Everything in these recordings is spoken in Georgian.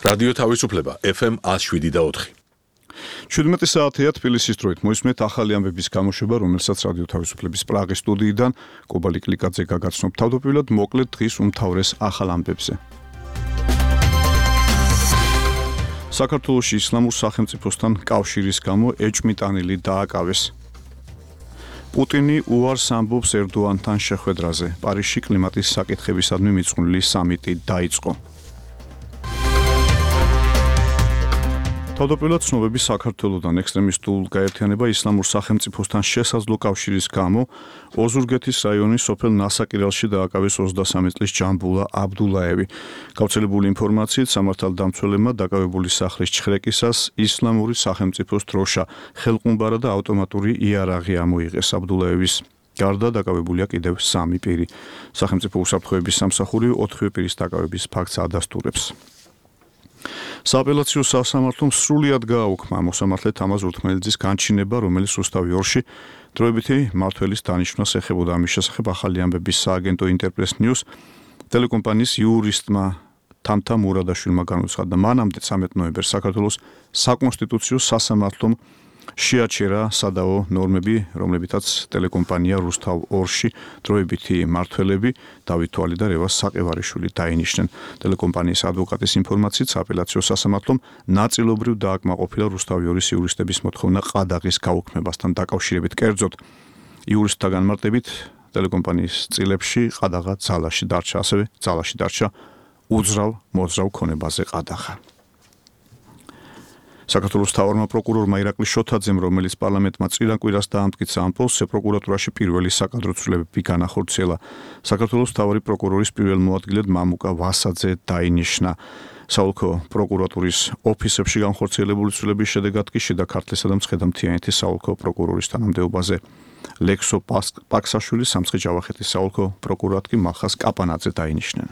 რადიო თავისუფლება FM 107.4. 17 საათია თბილისის დროით მოისმენთ ახალი ამბების გამოშვება, რომელსაც რადიო თავისუფლების პრაღის სტუდიიდან კობა ლიკლიკაძე გაგაცნობ. თავდაპირველად მოკლედ დღის უმთავრეს ახალ ამბებზე. საქართველოში ისლამურ სახელმწიფოსთან კავშირის გამო ეჭვმიტანილი დააკავეს. პუტინი უარს ამბობს ერდოანთან შეხვედრაზე. პარიზში კლიმატის საკითხებისადმი მიძღვნილი სამიტი დაიწყო. თავდაპირველად ცნობები საქართველოდან ექსტრემისტულ გაერთიანება ისლამურ სახელმწიფოსთან შესაძლო კავშირის გამო ოზურგეთის რაიონის სოფელ ნასაკირალში დააკავეს 23 წლის ჯამბულა აბდულაევი. გავრცელებული ინფორმაციით სამართალდამცველებმა დაკავებული სახლის ჩხრეკისას ისლამური სახელმწიფოს დროშა, ხელყუმბარა და ავტომატური იარაღი ამოიღეს. აბდულაევის გარდა დაკავებულია კიდევ 3 პირი. სახელმწიფო უსაფრთხოების სამსახური 4 პირის დაკავების ფაქტს ადასტურებს. სააპელაციო სასამართლომ სრულად გააუქმა მოსამართლე თამაზ ურთმელიძის განჩინება, რომელიც რუსთავი 2-ში დროებითი მმართველის დანიშვნას ეხებოდა. ამის შესახებ ახალი ამბების სააგენტო ინტერპრეს ნიუს ტელეკომპანიის იურისტმა თამთა მურადაშვილმა განუცხადა. მანამდე 13 ნოემბერს საქართველოს საკონსტიტუციო სასამართლომ შეაჩერა სადაო ნორმები, რომლებითაც ტელეკომპანია რუსთავ 2-ში დროებითი მმართველები დავით თვალი და რევაზ საყევარიშვილი დაინიშნენ. ტელეკომპანიის ადვოკატის ინფორმაციით სააპელაციო სასამართლომ ნაწილობრივ დააკმაყოფილა რუსთავი 2-ის იურისტების მოთხოვნა ყადაღის გაუქმებასთან დაკავშირებით. კერძოდ, იურისტთა განმარტებით ტელეკომპანიის წილებში ყადაღა ძალაში დარჩა, ასევე ძალაში დარჩა უძრავ ქონებაზე ყადაღა. საქართველოს მთავარმა პროკურორმა ირაკლი შოთაძემ, რომელიც პარლამენტმა წინა კვირას დაამტკიცა ამ პოსტზე, პროკურატურაში პირველი საკადრო ცვლილებები განახორციელა. საქართველოს მთავარი პროკურორის პირველ მოადგილედ მამუკა ვასაძე დაინიშნა. საოლქო პროკურატურის ოფისებში განხორციელებული ცვლილების შედეგად კი შიდა ქართლისა და მცხეთა-მთიანეთის საოლქო პროკურორის თანამდებობაზე ლექსო პაქსაშვილი, სამცხე-ჯავახეთის საოლქო პროკურორად კი მახას კაპანაძე დაინიშნენ.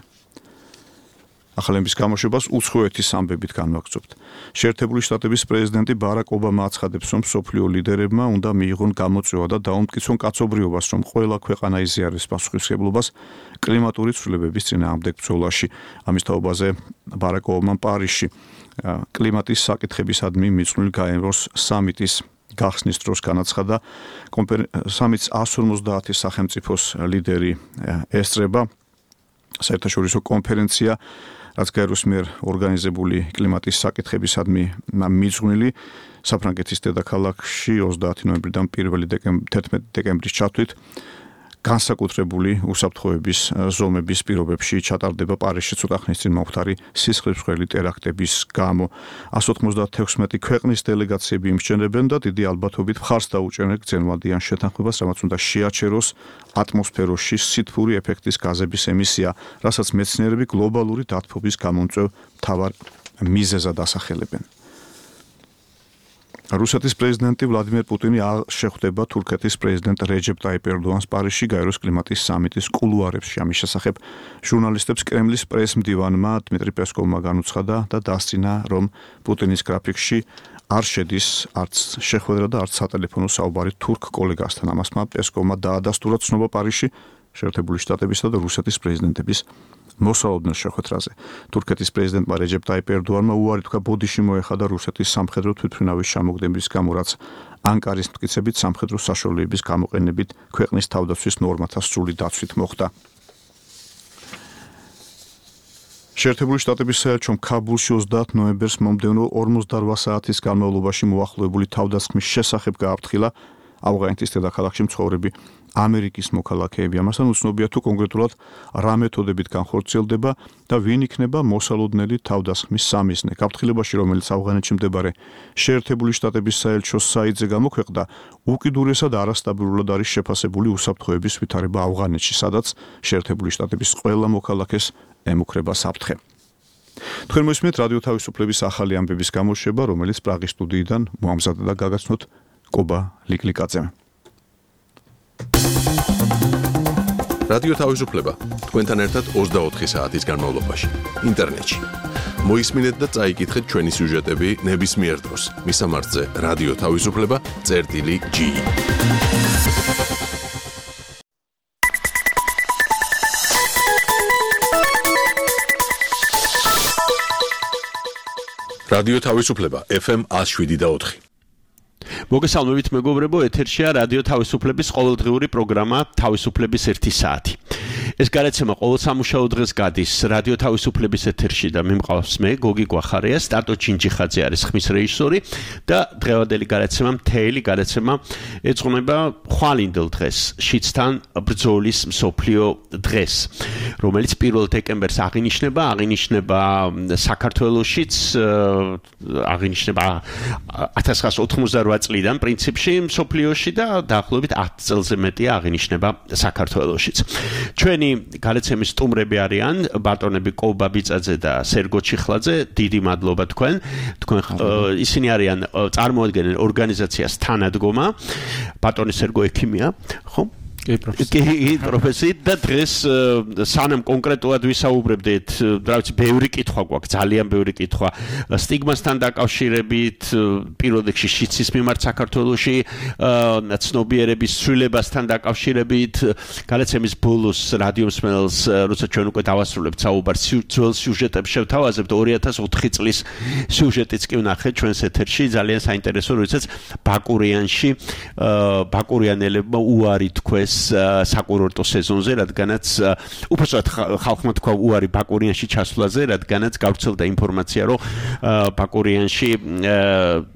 ახალების გამოშვებას უცხოეთის ამბებით განვაგრძობთ. შეერთებული შტატების პრეზიდენტი ბარაკ ობამა აცხადებს, რომ მსოფლიო ლიდერებმა უნდა მიიღონ გამოწვევა და დაუმტკიცონ კაცობრიობას, რომ ყველა ქვეყანა იზიარებს პასუხისმგებლობას კლიმატური ცვლილებების წინააღმდეგ ბრძოლაში. ამის თაობაზე ბარაკ ობამამ პარიზში კლიმატის საკითხებისადმი მიძღვნილ გაეროს სამიტის გახსნის დროს განაცხადა, სამიტს 150 სახელმწიფოს ლიდერი ესწრება. საერთაშორისო კონფერენცია, რაც გაეროს მიერ ორგანიზებული კლიმატის საკითხებისადმი მიძღვნილი საფრანგეთის დედაქალაქში 30 ნოემბრიდან 11 დეკემბრის ჩათვლით განსაკუთრებული უსაფრთხოების ზომების პირობებში ჩატარდება პარიზში ცოტა ხნის წინ მომხდარი სისხლისმღვრელი ტერაქტების გამო. 196 ქვეყნის დელეგაციები იმსჯენებენ და დიდი ალბათობით მხარს დაუჭერენ გრძელვადიან შეთანხმებას, რამაც უნდა შეაჩეროს ატმოსფეროში სითბური ეფექტის გაზების ემისია, რასაც მეცნიერები გლობალური დათბობის გამომწვევ მთავარ მიზეზად ასახელებენ. რუსეთის პრეზიდენტი ვლადიმერ პუტინი შეხვდება თურქეთის პრეზიდენტ რეჯეპ ტაიპ ერდოანს პარიზში გაეროს კლიმატის სამიტის კულუარებში. ამის შესახებ ჟურნალისტებს კრემლის პრესმდივანმა დმიტრი პესკოვმა განუცხადა და დასწინა, რომ პუტინის გრაფიკში არ შედის არც შეხვედრა და არც სატელეფონო საუბარი თურქ კოლეგასთან. ამასმა პესკოვმა დაადასტურა ცნობა პარიზში შეერთებული შტატებისა და რუსეთის პრეზიდენტების მოსალოდნელ შეხვედრაზე. თურქეთის პრეზიდენტმა რეჯეპ ტაიპ ერდოანმა უარი თქვა ბოდიში მოეხადა რუსეთის სამხედრო თვითმფრინავის ჩამოგდების გამო, რაც ანკარის მტკიცებით სამხედრო საშუალებების გამოყენებით ქვეყნის თავდაცვის ნორმათა სრული დაცვით მოხდა. შეერთებული შტატების საელჩომ ქაბულში 30 ნოემბერს მომდევნო 48 საათის განმავლობაში მოახლოებული თავდასხმის შესახებ გააფრთხილა ავღანეთის დედაქალაქში მცხოვრები ამერიკის მოქალაქეები. ამასთან უცნობია თუ კონკრეტულად რა მეთოდებით განხორციელდება და ვინ იქნება მოსალოდნელი თავდასხმის სამიზნე. გაფრთხილებაში, რომელიც ავღანეთში მდებარე შეერთებული შტატების საელჩოს საიტზე გამოქვეყნდა, უკიდურესად არასტაბილურად არის შეფასებული უსაფრთხოების ვითარება ავღანეთში, სადაც შეერთებული შტატების ყველა მოქალაქეს ემუქრება საფრთხე. თქვენ მოისმენთ რადიო თავისუფლების ახალი ამბების გამოშვება, რომელიც პრაღის სტუდიიდან მოამზადა და გაგაცნოთ კობა ლიკლიკაძემ. რადიო თავისუფლება თქვენთან ერთად 24 საათის განმავლობაში ინტერნეტში. მოისმინეთ და წაიკითხეთ ჩვენი სიუჟეტები ნებისმიერ დროს. მისამართზე რადიო თავისუფლება.ge რადიო თავისუფლება FM 107.4. მოგესალმებით მეგობრებო, ეთერშია რადიო თავისუფლების ყოველდღიური პროგრამა თავისუფლების 1 საათი. ეს გადაცემა ყოველ სამუშაო დღეს გადის რადიო თავისუფლების ეთერში და მე მყავს მე გოგი გვახარია, სტატო ჩინჩიხაძე არის ხმის რეჟისორი და დღევანდელი გადაცემა მთელი გადაცემა ეძღვნება ხვალინდელ დღეს, შიდსთან ბრძოლის მსოფლიო დღეს, რომელიც 1 დეკემბერს აღინიშნება საქართველოშიც აღინიშნება 1988 წლიდან პრინციპში მსოფლიოში და დაახლოებით 10 წელზე მეტია აღინიშნება საქართველოშიც. ჩვენი გადაცემის სტუმრები არიან ბატონები კოვა ბიწაძე და სერგო ჩიხლაძე, დიდი მადლობა თქვენ ისინი არიან წარმოადგენენ ორგანიზაციას თანადგომა, ბატონი სერგო ექიმია, ხო? კი პროფესიით და დღეს სანამ კონკრეტულად ვისაუბრებდით, რაც ბევრი კითხვა გვაქვს, ძალიან ბევრი კითხვა სტიგმასთან დაკავშირებით, პირველ რიგში შიცის მიმართ საქართველოში, ცნობიერების ცვლილებასთან დაკავშირებით, გადაცემის ბოლოს რადიო მსმენელს, როცა ჩვენ უკვე დავასრულებთ საუბარს, ძველ სიუჟეტებს შევთავაზებთ 2004 წლის სიუჟეტიც კი ვნახეთ ჩვენს ეთერში, ძალიან საინტერესო, როდესაც ბაკურიანელებმა უარი თქვეს საკურორტო სეზონზე, რადგანაც უბრალოდ ხალხმა თქვა უარი ბაკურიანში ჩასვლაზე, რადგანაც გავრცელდა ინფორმაცია, რომ ბაკურიანში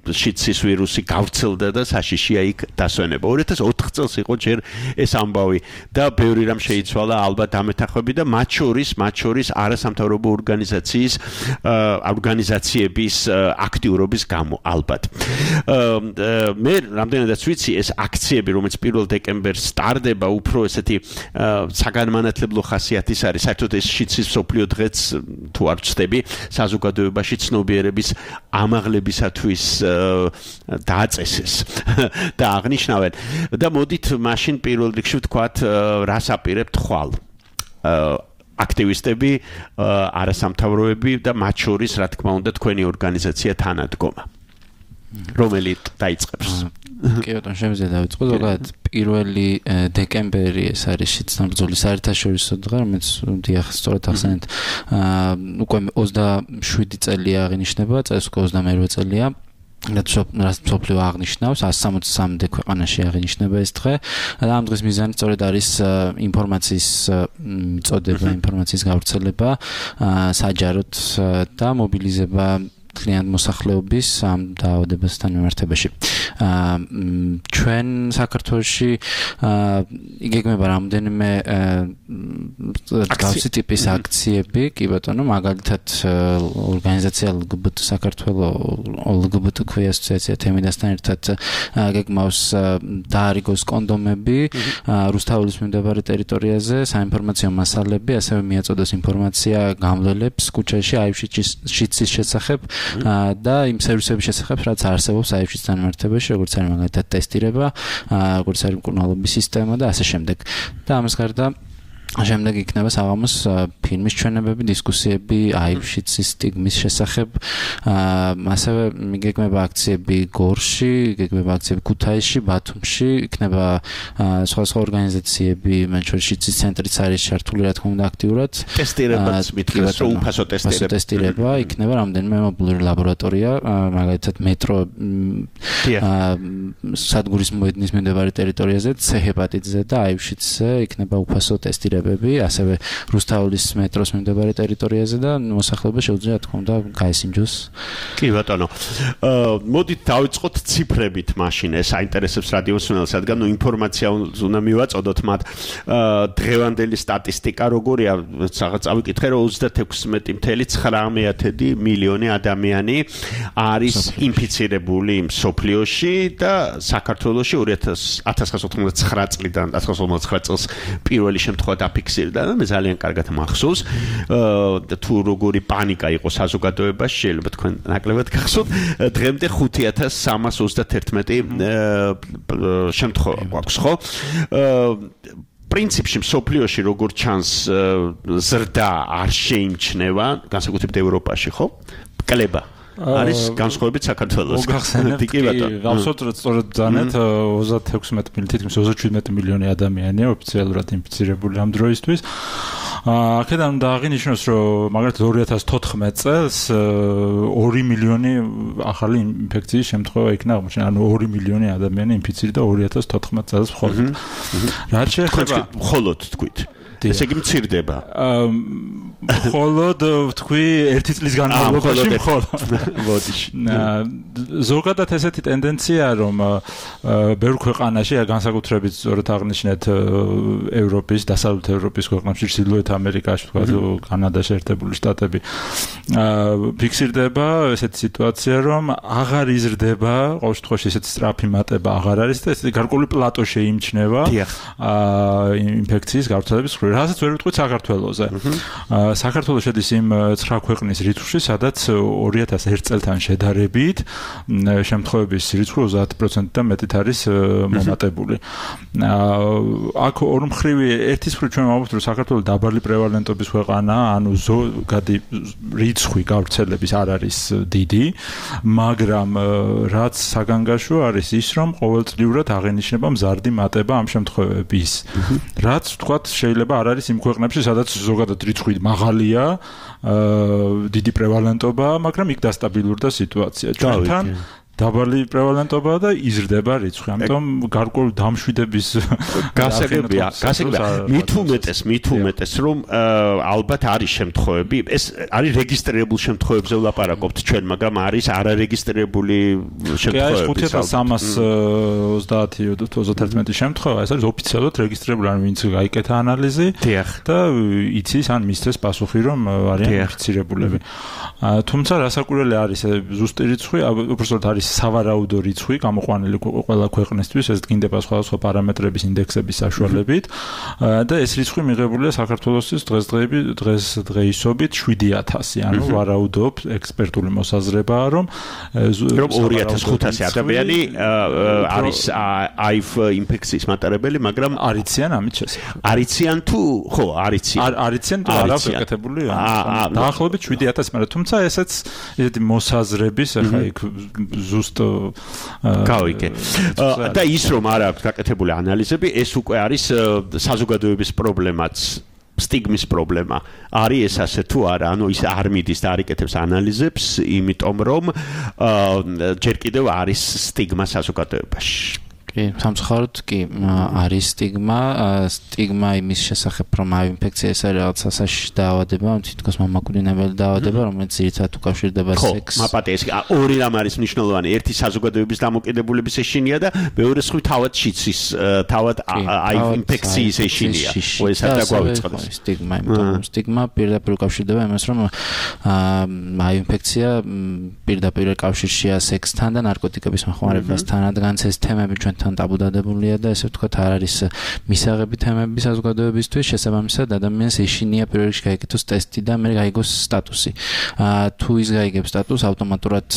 შიცის ვირუსი გავრცელდა და საშიშია იქ დასვენება. 2004 წელს იყო ჯერ ეს ამბავი და ბევრი რამ შეიცვალა ალბათ ამეთახვები და მათ შორის არასამთავრობო ორგანიზაციების აქტიურობის გამო ალბათ. მე რამდენადაც ვიცი, ეს აქციები, რომელიც 1 დეკემბერს სტარდება, უფრო ესეთი საგანმანათლებლო ხასიათის არის. საერთოდ ეს შიცის მსოფლიო დღეც თუ არ ვწდები, საზოგადოებაში ცნობიერების ამაღლებისათვის დააწესეს და აღნიშნავენ. და მოდით მაშინ პირველ რიგში ვთქვათ, რას აპირებთ ხვალ. აქტივისტები, არასამთავროები და მათ შორის, რა თქმა უნდა, თქვენი ორგანიზაცია თანადგომა. რომელიც დაიწყებს. კი ბატონო, შემიძლია დავიწყო, ზოგადად 1 დეკემბერი ეს არის შიდსთან ბრძოლის საერთაშორისო დღე, რომელიც დიახ, სწორად ახსენეთ, უკვე 27 წელია აღინიშნება, წელს უკვე 28 წელია. რაც მსოფლიო აღნიშნავს 163 ქვეყანაში აღინიშნება ეს დღე და ამ დღის მიზანი სწორედ არის ინფორმაციის მიწოდება, ინფორმაციის გავრცელება, საჯაროდ და მობილიზება კლient მოსახლეობის ამ დაავადებასთან მიმართებაში. ჩვენ საქართველოში იგეგმება რამდენიმე გავსი ტიპის აქციები, კი ბატონო, მაგალითად ორგანიზაცია LGBT ქვია ასოციაცია თემიდასთან ერთად გეგმავს დაარიგოს კონდომები რუსთაველის მიმდებარე ტერიტორიაზე, საინფორმაციო მასალები, ასევე მიაწოდოს ინფორმაცია გამლელებს ქუჩაში აივშიცის შესახებ და იმ სერვისების შესახებ, რაც არსებობს აივშიცთან მიმართებაში, როგორც არის მაგალითად ტესტირება, როგორც არის მკურნალობის სისტემა და ასე შემდეგ. და ამას გარდა შემდეგ იქნება საღამოს ფილმის ჩვენებები, დისკუსიები აივშიცის სტიგმის შესახებ, ასევე მიგეგმება აქციები გორში, მიგეგმება აქციები ქუთაისში, ბათუმში, იქნება სხვა ორგანიზაციები, მათ შორის შიცის ცენტრიც არის ჩართული, რა თქმა უნდა, აქტიურად. ტესტირებაც მითხრას, რომ უფასო ტესტირება, იქნება რამდენიმე მობილური ლაბორატორია, მაგალითად მეტრო სადგურის მოედნის მიმდებარე ტერიტორიაზე, C-ჰეპატიტზე და აივშიცზე იქნება უფასო ტესტირება. ასევე რუსთაველის მეტროს მიმდებარე ტერიტორიაზე და მოსახლეობა შეუძლია, თქმა უნდა, გაესინჯოს. კი ბატონო. მოდით დავიწყოთ ციფრებით მაშინ, ეს აინტერესებს რადიო მსმენელს, რადგან ინფორმაცია უნდა მივაწოდოთ მათ. დღევანდელი სტატისტიკა როგორია, რაღაც წავიკითხე, რომ 36.9 მილიონი ადამიანი არის ინფიცირებული მსოფლიოში და საქართველოში 1999 წლიდან 1999 წელს პირველი შემთხვევა დაფიქსირდა და მე ძალიან კარგად მახსოვს თუ როგორი პანიკა იყო საზოგადოებაში, შეიძლება თქვენ ნაკლებად გახსოვთ, დღემდე 5311 შემთხვევა გვაქვს, ხო? პრინციპში მსოფლიოში როგორც ჩანს ზრდა არ შეიმჩნევა, განსაკუთრებით ევროპაში, ხო? კლება არის განსხვავებით საქართველოს. მოგახსენებთ კი გავსოთ სწორედ ძანეთ 36 თითქმის 37 მილიონი ადამიანია ოფიციალურად ინფიცირებული ამ დროისთვის. აქედან უნდა აღინიშნოს, რომ მაგალითად 2014 წელს 2 მილიონი ახალი ინფექციის შემთხვევა იქნა აღმოჩენილი, ანუ 2 მილიონი ადამიანი ინფიცირდა 2014 წელს მხოლოდ. რაც შეეხება მხოლოდ თქვით ესე იგი მცირდება. მხოლოდ თქვი 1 წლის განმავლობაში მხოლოდ. ბოდიში. ზოგადად ესეთი ტენდენცია, რომ ბევრ ქვეყანაში, განსაკუთრებით სწორედ აღნიშნეთ ევროპის, დასავლეთ ევროპის ქვეყნებში, ჩრდილოეთ ამერიკაში, თქვა კანადაში, ერთებული შტატები, ფიქსირდება ესეთი სიტუაცია, რომ აღარ იზრდება, ყოველ შემთხვევაში ესეთი სწრაფი მატება აღარ არის და ესეთი გარკვეული პლატო შეიმჩნევა ინფექციის გავრცელების მხრივ. რასაც ვერ ვიტყვით საქართველოზე. საქართველოს შედის იმ 9 ქვეყნის რიცხვში, სადაც 2001 წელთან შედარებით შემთხვევების რიცხვი 30%-დან მეტით არის მომატებული. აქ ორმხრივი ერთის მხრივ ჩვენ ვამბობთ, რომ საქართველოს დაბალი პრევალენტობის ქვეყანაა, ანუ რიცხვი გავრცელების არ არის დიდი, მაგრამ რაც საგანგაშო არის ის, რომ ყოველწლიურად აღენიშნება მზარდი მატება ამ შემთხვევების. რაც ვთქვათ, შეიძლება არ არის იმ ქვეყნებში, სადაც ზოგადად რიცხვი მაღალია, დიდი პრევალენტობა, მაგრამ იქ დასტაბილურდა სიტუაცია. ჩვენთან დაბალი პრევალენტობაა და იზრდება რიცხვი. ამიტომ გარკვეული დამშვიდების გასაგებია. მით უმეტეს, რომ ალბათ არის შემთხვევები, ეს არის რეგისტრირებულ შემთხვევებზე ვლაპარაკობთ ჩვენ, მაგრამ არის არარეგისტრირებული შემთხვევები. კი, 5330 შემთხვევა, ეს არის ოფიციალურად რეგისტრირებული, ანუ ვინც გაიკეთა ანალიზი და იცის ან მისცეს პასუხი, რომ არიან ინფიცირებულები. თუმცა რასაკვირველი არის ზუსტი რიცხვი, უბრალოდ არის სავარაუდო რიცხვი გამოყვანილი ყველა ქვეყნისთვის, ეს დგინდება სხვადასხვა პარამეტრების ინდექსების საშუალებით და ეს რიცხვი მიღებულია საქართველოსთვის დღესდღეობით 7000, ანუ ვარაუდობ ექსპერტული მოსაზრებაა, რომ 2500 ადამიანი არის აივ ინფექციის მატარებელი, მაგრამ არიციან ამით შესახებ. არიციან თუ ხო, არიციან. არიციან თუ არა გაკეთებული? დაახლოებით 7000, მაგრამ თუმცა ესეც ესეთი მოსაზრების ახლა იქ ზუსტ გავიგე. და ის რომ არ აქვს გაკეთებული ანალიზები, ეს უკვე არის საზოგადოების პრობლემაც. სტიგმის პრობლემა არის ეს ასე თუ არა, ანუ ის არ მიდის და არ იკეთებს ანალიზებს, იმიტომ რომ ჯერ კიდევ არის სტიგმა საზოგადოებაში. კი, სამწუხაროდ კი არის სტიგმა იმის შესახებ, რომ აი ინფექცია ეს არის რაღაც სასაშიში დაავადება, თითქოს მამაკვირინებელი დაავადება, რომელიც ძირითადად უკავშირდება სექსს. მაპატე ეს ორი რამ არის მნიშვნელოვანი, ერთი საზოგადოების დამოკიდებულების ეშინია და მეორე სხვი თავად შიცის, თავად აი ინფექციის ეშინია. ეს არ დაგვავიწყდეს. სტიგმა, იმიტომ სტიგმა პირდაპირ უკავშირდება იმას, რომ აი ინფექცია პირდაპირ კავშირშია სექსთან და ნარკოტიკების მოხმარებასთან, რადგანაც ეს თემები ჩვენ ტაბუდადებულია და ესე ვთქვათ არ არის მისაღები თემები საზოგადოებისთვის, შესაბამისად ადამიანს ეშინია პირველ რიგში გაიგოს ტესტი და მე გაიგოს სტატუსი. თუ ის გაიგებს სტატუსს, ავტომატურად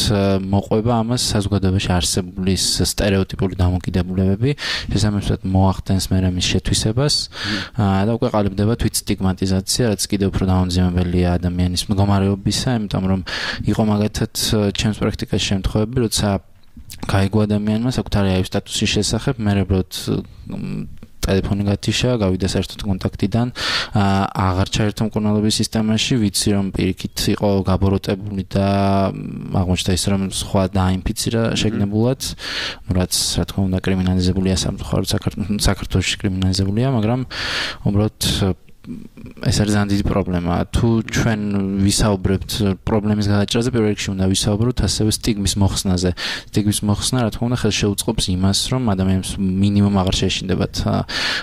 მოყვება ამას საზოგადოებაში არსებული სტერეოტიპული დამოკიდებულებები, შესაბამისად მოახდენს მე მის შეთვისებას და უკვე ყალიბდება თვით სტიგმატიზაცია, რაც კიდევ უფრო დაუნძიმებელია ადამიანის მდგომარეობისა, იმიტომ რომ იყო მაგათაც ჩემს პრაქტიკაში შემთხვევები, როცა გაიგო ადამიანმა საკუთარი აივ სტატუსის შესახებ, მე უბრალოდ ტელეფონი გათიშა, გავიდა საერთოდ კონტაქტიდან, აღარ ჩაერთო მკურნალობის სისტემაში, ვიცი რომ პირიქით იყო გაბოროტებული და აღმოჩნდა ის რომ სხვა დაინფიცირა შეგნებულად, რაც რა თქმა უნდა კრიმინალიზებულია სამწუხაროდ საქართველოში კრიმინალიზებულია, მაგრამ უბრალოდ ეს არის ძალიან დიდი პრობლემა. თუ ჩვენ ვისაუბრებთ პრობლემის გადაჭრაზე, პირველ რიგში უნდა ვისაუბროთ ასევე სტიგმის მოხსნაზე. სტიგმის მოხსნა, რა თქმა უნდა, ხელშეუწყობს იმას, რომ ადამიანებს მინიმუმ აღარ შეეშინდებათ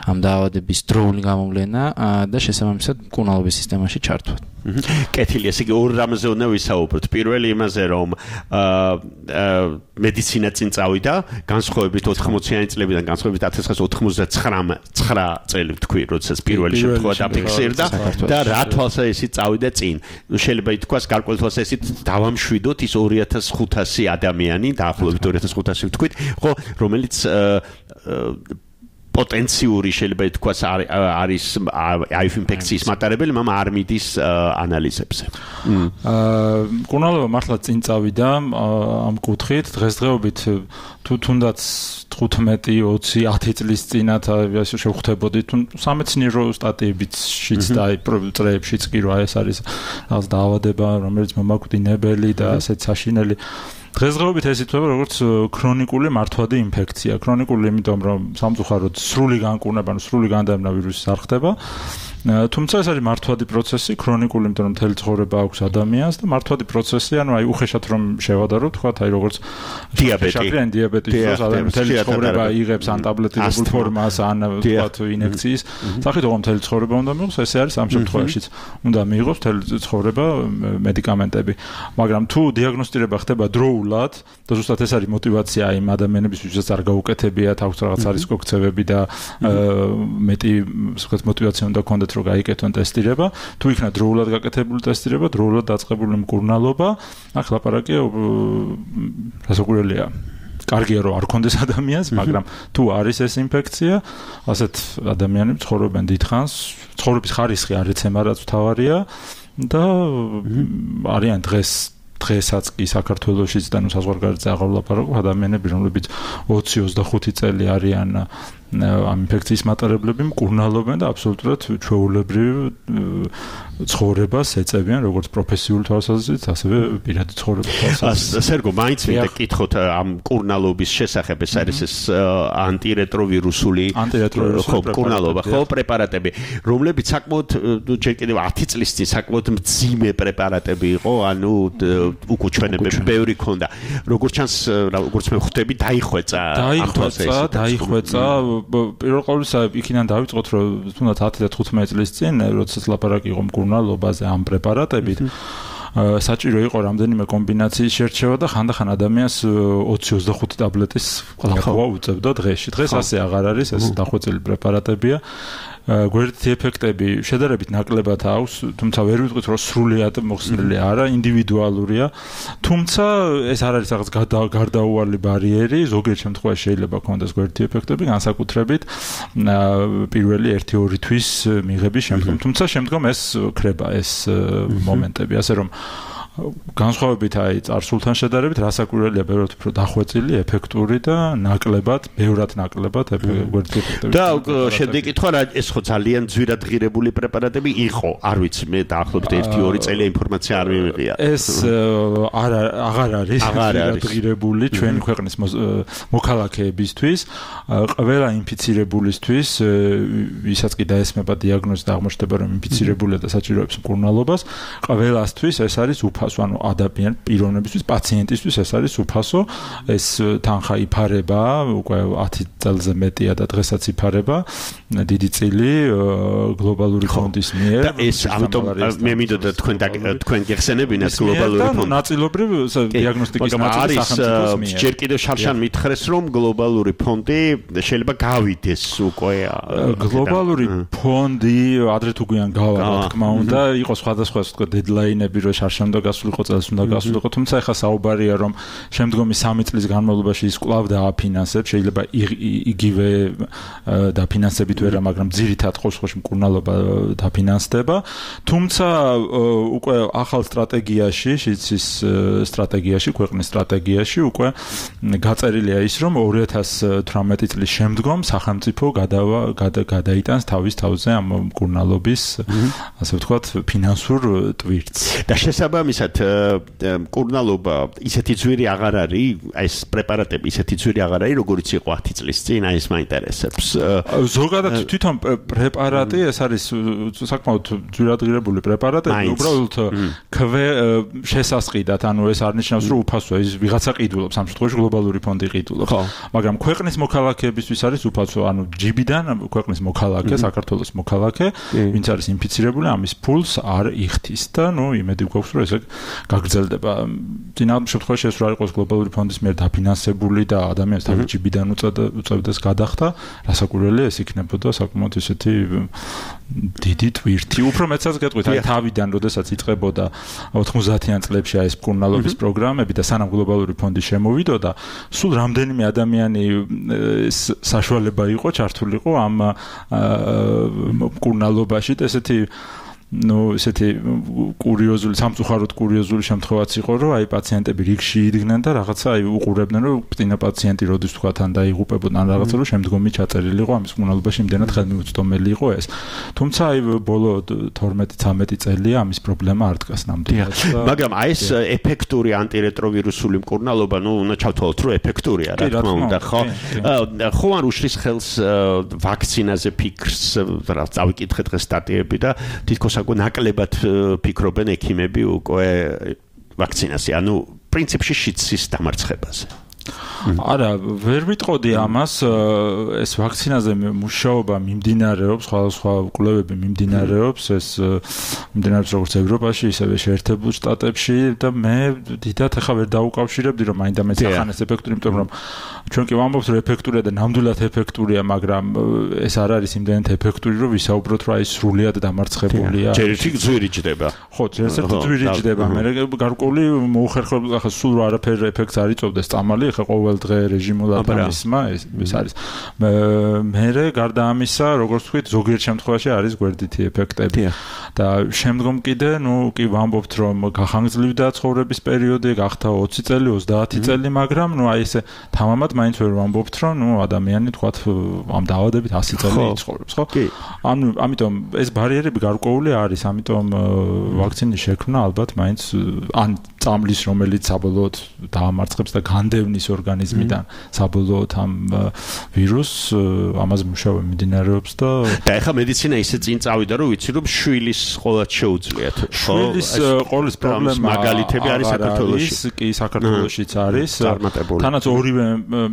ამ დაავადების დროული გამოვლენა და შესაბამისად მკურნალობის სისტემაში ჩართვა. კეთილი, ესე იგი ორ რამზე უნდა ვისაუბროთ. პირველი იმაზე, რომ მედიცინა წინ წავიდა, განსხვავებით 80-იანი წლებიდან, განსხვავებით 1999 წელი ვთქვი, როდესაც პირველი შემთხვევა დაფიქსირდა და რა თვალსაზრისით წავიდა წინ. შეიძლება ითქვას, გარკვეული თვალსაზრისით დავამშვიდოთ ის 2500 ადამიანი, დაახლოებით 2500 ვთქვით, ხო, რომელიც პოტენციური შეიძლება ითქვას არის HIV ინფექციის მატარებელი, მაგრამ არ მიდის ანალიზებზე. მკურნალობა მართლა წინ წავიდა ამ კუთხით, დღესდღეობით თუ თუნდაც 15-20 წლის წინათ შევხვდებოდით, თუ სამეცნიერო სტატიებიც და წრეებშიც კი რა ეს არის რაღაც დაავადება, რომელიც მომაკვდინებელი და ასეთ საშინელი. დღესდღეობით ეს ითვლება როგორც ქრონიკული მართვადი ინფექცია. ქრონიკული, იმიტომ რომ სამწუხაროდ სრული განკურნება, სრული განდევნა ვირუსის არ ხდება. თუმცა ეს არის მართვადი პროცესი, ქრონიკული, იმიტომ რომ მთელი ცხოვრება აქვს ადამიანს და მართვადი პროცესი, ანუ აი უხეშად რომ შევადაროთ, თქვათ, აი როგორც შაქრიანი დიაბეტის დროს ადამიანი მთელი ცხოვრება იღებს ან ტაბლეტირებულ ფორმას, ან თქვათ ინექციის სახით, ოღონდ მთელი ცხოვრება უნდა მიიღოს, ესე არის ამ შემთხვევაშიც. უნდა მიიღოს მთელი ცხოვრება მედიკამენტები. მაგრამ თუ დიაგნოსტირება ხდება დროულად და ზუსტად ეს არის მოტივაცია იმ ადამიანების, ვისაც არ გაუკეთებიათ, აქვს რაღაც არისკო ქცევები და მეტი ვთქვათ მოტივაცია უნდა ქონდეთ რომ გაიკეთონ ტესტირება, თუ იქნა დროულად გაკეთებული ტესტირება, დროულად დაწყებული მკურნალობა, აქ ლაპარაკია რასაკვირველია. კარგია რომ არ ქონდეს ადამიანს, მაგრამ თუ არის ეს ინფექცია, ასეთ ადამიანები ცხოვრობენ დიდხანს, ცხოვრების ხარისხი არ ეცემა, რაც მთავარია და არიან დღესაც კი საქართველოშიც და საზღვარგარეთზე აღარ ვლაპარაკობ, ადამიანები, რომლებიც 20-25 წელი არიან ამ ინფექციის მატარებლები, მკურნალობენ და აბსოლუტურად ჩვეულებრივ ცხოვრებას ეწევიან, როგორც პროფესიული თვალსაზრისით, ასევე პირადი ცხოვრების თვალსაზრისით. სერგო, მაინც მინდა გკითხოთ ამ მკურნალობის შესახებ, ეს არის ეს ანტირეტროვირუსული მკურნალობა, ხო, პრეპარატები, რომლებიც საკმაოდ ჯერ კიდევ 10 წლის წინ საკმაოდ მძიმე პრეპარატები იყო, ანუ უკუჩვენებები ბევრი ქონდა. როგორც ჩანს, როგორც მე ხვდები, დაიხვეწა. პირველ ყოვლისა იქიდან დავიწყოთ, რომ თუნდაც 10 და 15 წლის წინ, როდესაც ლაპარაკი იყო მკურნალობაზე ამ პრეპარატებით, საჭირო იყო რამდენიმე კომბინაციის შერჩევა და ხანდახან ადამიანს 20-25 ტაბლეტის ყლაპვა უწევდა დღეში. დღეს ასე აღარ არის, ეს დახვეწილი პრეპარატებია. გვერდითი ეფექტები შედარებით ნაკლებად აქვს, თუმცა ვერ ვიტყვით, რომ სრულიად მოხსნილი არა, ინდივიდუალურია. თუმცა ეს არ არის რაღაც გარდაუვალი ბარიერი, ზოგიერთ შემთხვევაში შეიძლება ქონდეს გვერდითი ეფექტები, განსაკუთრებით პირველი 1-2 თვის მიღების შემდგომ. თუმცა შემდგომ ეს ქრება ეს მომენტები, ასე რომ განსხვავებით აი წარსულთან შედარებით რასაკვირველია ბევრად უფრო დახვეწილი, ეფექტური და ბევრად ნაკლებად გვერდითი ეფექტები. და შემდეგ კითხვა რა ეს ხო ძალიან ძვირად ღირებული პრეპარატები იყო, არ ვიცი, მე დაახლოებით 1-2 წელი ინფორმაცია არ მივიღია. ეს აღარ არის ძვირად ღირებული ჩვენი ქვეყნის მოქალაქეებისთვის, ყველა ინფიცირებულისთვის, ვისაც კი დაესმება დიაგნოზი და აღმოჩნდება რომ ინფიცირებულია და საჭიროებს მკურნალობას, ყველასთვის ეს არის ანუ ადამიან პიროვნებისთვის, პაციენტისთვის ეს არის უფასო, ეს თანხა იფარება, უკვე 10 წელზე მეტია და დღესაც იფარება, დიდი წილი გლობალური ფონდის მიერ. და ეს ამიტომ მე მინდოდა თქვენ გეხსენებინათ გლობალური ფონდი. ნაწილობრივ დიაგნოსტიკის ნაწილი სახელმწიფოს მიერ. ჯერ კიდევ შარშან მითხრეს, რომ გლობალური ფონდი შეიძლება გავიდეს უკვე. გლობალური ფონდი ადრე თუ გვიან გავა, რა თქმა უნდა, იყო სხვადასხვა თქო დედლაინები, რომ შარშან და გასულიყო წელს უნდა გასულიყო, თუმცა ეხლა საუბარია რომ შემდგომი 3 წლის განმავლობაში ის კვლავ დააფინანსებს, შეიძლება იგივე დაფინანსებით ვერა, მაგრამ ძირითად ყოველში მკურნალობა დაფინანსდება. თუმცა უკვე ახალ სტრატეგიაში, შიცის სტრატეგიაში, ქვეყნის სტრატეგიაში უკვე გაწერილია ის, რომ 2018 წლის შემდგომ სახელმწიფო გადაიტანს თავის თავზე ამ მკურნალობის, ასე ვთქვათ, ფინანსურ ტვირთს. და შესაბამისად მკურნალობა ისეთი ძვირი აღარ არის, ეს პრეპარატები ისეთი ძვირი აღარ არის, როგორც იყო 10 წლის წინ, აი ეს მაინტერესებს. ზოგადად თვითონ პრეპარატი ეს არის საკმაოდ ძვირად ღირებული პრეპარატები, უბრალოდ შესასყიდად, ანუ ეს არ ნიშნავს, რომ უფასოა, ის ვიღაცა ყიდულობს, ამ შემთხვევაში გლობალური ფონდი ყიდულობს. მაგრამ ქვეყნის მოქალაქეებისთვის არის უფასო, ანუ ჯიბიდან ქვეყნის მოქალაქე, საქართველოს მოქალაქე, ვინც არის ინფიცირებული, ამის ფულს არ იხდის და იმედი გვაქვს, რომ ესე გაგრძელდება. წინააღმდეგ შემთხვევაში ეს რა იყოს გლობალური ფონდის მიერ დაფინანსებული და ადამიანს თავის ჯიბიდან უწევდეს გადახდა, რასაკვირველია ეს იქნებოდა საკმაოდ ისეთი დიდი ტვირთი. უფრო მეცაც გეტყვით, აი თავიდან, როდესაც იწყებოდა 90-იან წლებში ეს მკურნალობის პროგრამები და სანამ გლობალური ფონდი შემოვიდოდა, სულ რამდენიმე ადამიანი საშუალება იყო ჩართულიყო ამ მკურნალობაში და ესეთი კურიოზული, სამწუხაროდ კურიოზული შემთხვევაც იყო, რომ აი პაციენტები რიგში იდგნენ და რაღაცა აი უყურებდნენ, რომ წინა პაციენტი როდის თქვა თან დაიღუპებოდა ან რაღაცა, რომ შემდგომი ჩაწერილი იყო ამის მკურნალობაში იმდენად ხელმიუწვდომელი იყო ეს. თუმცა აი ბოლო 12-13 წელია ამის პრობლემა არ დგას ნამდვილად. მაგრამ აი ეს ეფექტური ანტირეტროვირუსული მკურნალობა, უნდა ჩავთვალოთ, რომ ეფექტურია, რა თქმა უნდა, ხო? ხო არ უშლის ხელს ვაქცინაზე ფიქრს, რა წავიკითხე დღეს სტატიები და თითქოს ნაკლებად ფიქრობენ ექიმები უკვე ვაქცინაზე, ანუ პრინციპში შიცის დამარცხებაზე. არა, ვერ ვიტყოდი ამას, ეს ვაქცინაზე მუშაობა მიმდინარეობს, სხვადასხვა კვლევები მიმდინარეობს, ეს მიმდინარეობს როგორც ევროპაში, ისევე შეერთებულ შტატებში და მე დიდად ახლა ვერ დაუკავშირებდი, რომ მაინდა-მაინც ახანეს ეფექტური, იმიტომ რომ ჩვენ კი ვამბობთ, რომ ეფექტურია და ნამდვილად ეფექტურია, მაგრამ ეს არ არის იმდენად ეფექტური, რომ ვისაუბროთ, რომ აი სრულიად დამარცხებულია. ჯერ ერთი ძვირი ჯდება. ხო, ჯერ ერთი ძვირი ჯდება. მე გარკვეული მოუხერხებლად ახლა სულ არაფერ ეფექტს არ იწვევდეს წამალი, ახლა ყოველ დღე რეჟიმულად ამისმა ეს არის. მე გარდა ამისა, როგორც ვთქვით, ზოგიერთ შემთხვევაში არის გვერდითი ეფექტები. და შემდგომ კიდე, კი ვამბობთ, რომ გახანგრძლივდა ცხოვრების პერიოდი, გახდა 20 წელი, 30 წელი, მაგრამ აი ესე თამამად მაინც ვერ ვამბობთ, რომ ადამიანი თქვათ ამ დაავადებით 100 წელი იცხოვრებს, ხო? ანუ ამიტომ ეს ბარიერები გარკვეული არის, ამიტომ ვაქცინის შექმნა ალბათ მაინც ან წამლის, რომელიც საბოლოოდ დაამარცხებს და განდევნის ორგანიზმიდან საბოლოოდ ამ ვირუსს, ამაზე მუშაობა მიმდინარეობს და ეხლა მედიცინა ისე წინ წავიდა, რომ ვიცი, რომ შვილის ყოლად შეუძლიათ. შვილის ყოლის პრობლემა მაგალითები არის საქართველოში. კი, საქართველოშიც არის. თანაც ორივე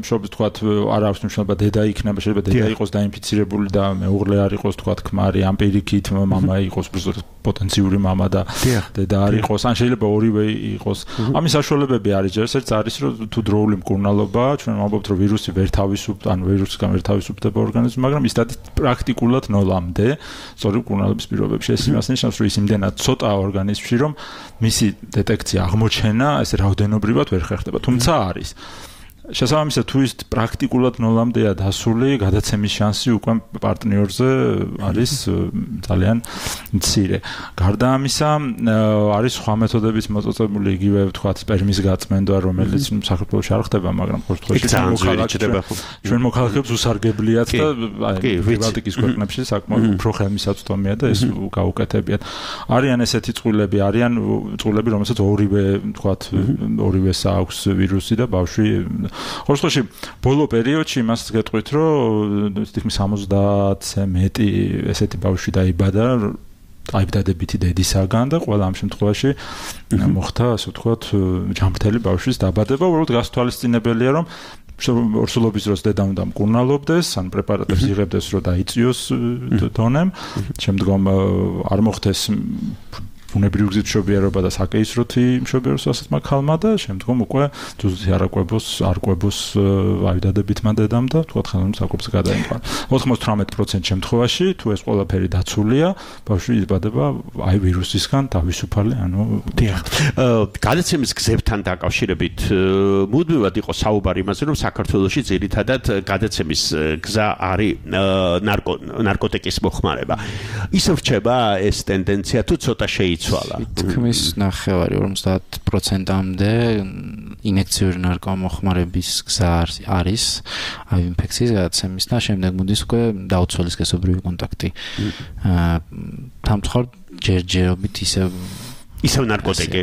მშობლის თქვათ არ აქვს მნიშვნელობა, დედა იქნება, შეიძლება დედა იყოს დაინფიცირებული და მეუღლე არ იყოს თქვათ ქმარი, ამ პირიქით მამა იყოს პოტენციური მამა და დედა არ იყოს, ან შეიძლება ორივე იყოს. ამის საშუალებები არის, ერთ არის, რომ თუ დროული მკურნალობა, ჩვენ ვამბობთ, რომ ვირუსი ვერ თავისუფლდება, ან ვირუსისგან ვერ თავისუფლდება ორგანიზმი, მაგრამ ის პრაქტიკულად ნოლამდე, სწორი მკურნალობის პირობებში. ეს იმას ნიშნავს, რომ ის იმდენად ცოტაა ორგანიზმში, რომ მისი დეტექცია, აღმოჩენა ესე რაოდენობრივად ვერ ხერხდება, თუმცა არის. შესაბამისად, თუ ის პრაქტიკულად ნოლამდეა დასული, გადაცემის შანსი უკვე პარტნიორზე არის ძალიან მცირე. გარდა ამისა, არის სხვა მეთოდებიც მოწოწებული, იგივე ვთქვათ, სპერმის გაწმენდა, რომელიც საქართველოში არ ხდება, მაგრამ ყოველთვის ჩვენ მოქალაქეებს უსარგებლიათ და ბალტიკის ქვეყნებში საკმაოდ უფრო ხელმისაწვდომია და ეს გაუკეთებიათ. არიან ესეთი წყვილები, არიან წყვილები, რომელსაც ორივე, ვთქვათ, ორივეს აქვს ვირუსი და ბავშვი ყოველთვის ბოლო პერიოდში იმას გეტყვით, რომ თითქმის 70-ზე მეტი ესეთი ბავშვი დაიბადა დაიბადებითი დედისაგან და ყველა ამ შემთხვევაში მოხდა, ასე ვთქვათ, ჯანმრთელი ბავშვის დაბადება, უბრალოდ გასათვალისწინებელია, რომ ორსულობის დროს დედა უნდა მკურნალობდეს, ან პრეპარატებს იღებდეს, რომ დაიწიოს დონემ, შემდგომ არ მოხდეს ბუნებრივი გზით მშობიარობა და საკეისროთი მშობიარობასაც მაგალმა და შემდგომ უკვე ძუძუთი არკვებოს აიდადებითმა დედამ და თქვათ ხელოვნების საკურთხს გადაიმყარა. 98% შემთხვევაში თუ ეს ყველაფერი დაცულია, ბავშვი იბადება აი ვირუსისგან თავისუფალი, ანუ დიახ. გადაცემის გზებთან დაკავშირებით მუდმივად იყო საუბარი იმაზე, რომ საქართველოში ძირითადად გადაცემის გზა არის ნარკოტიკის მოხმარება. ისევ რჩება ეს ტენდენცია თუ ცოტა შეიცვალა? თქმის ნახევარი 50%-მდე ინექციური ნარკომოხმარების გზა არის აი ინფექციის გადაცემის და შემდეგ მოდის უკვე დაუცველი სქესობრივი კონტაქტი. თამთხოვ ჯერჯერობით ისევ ნარკოტიკი.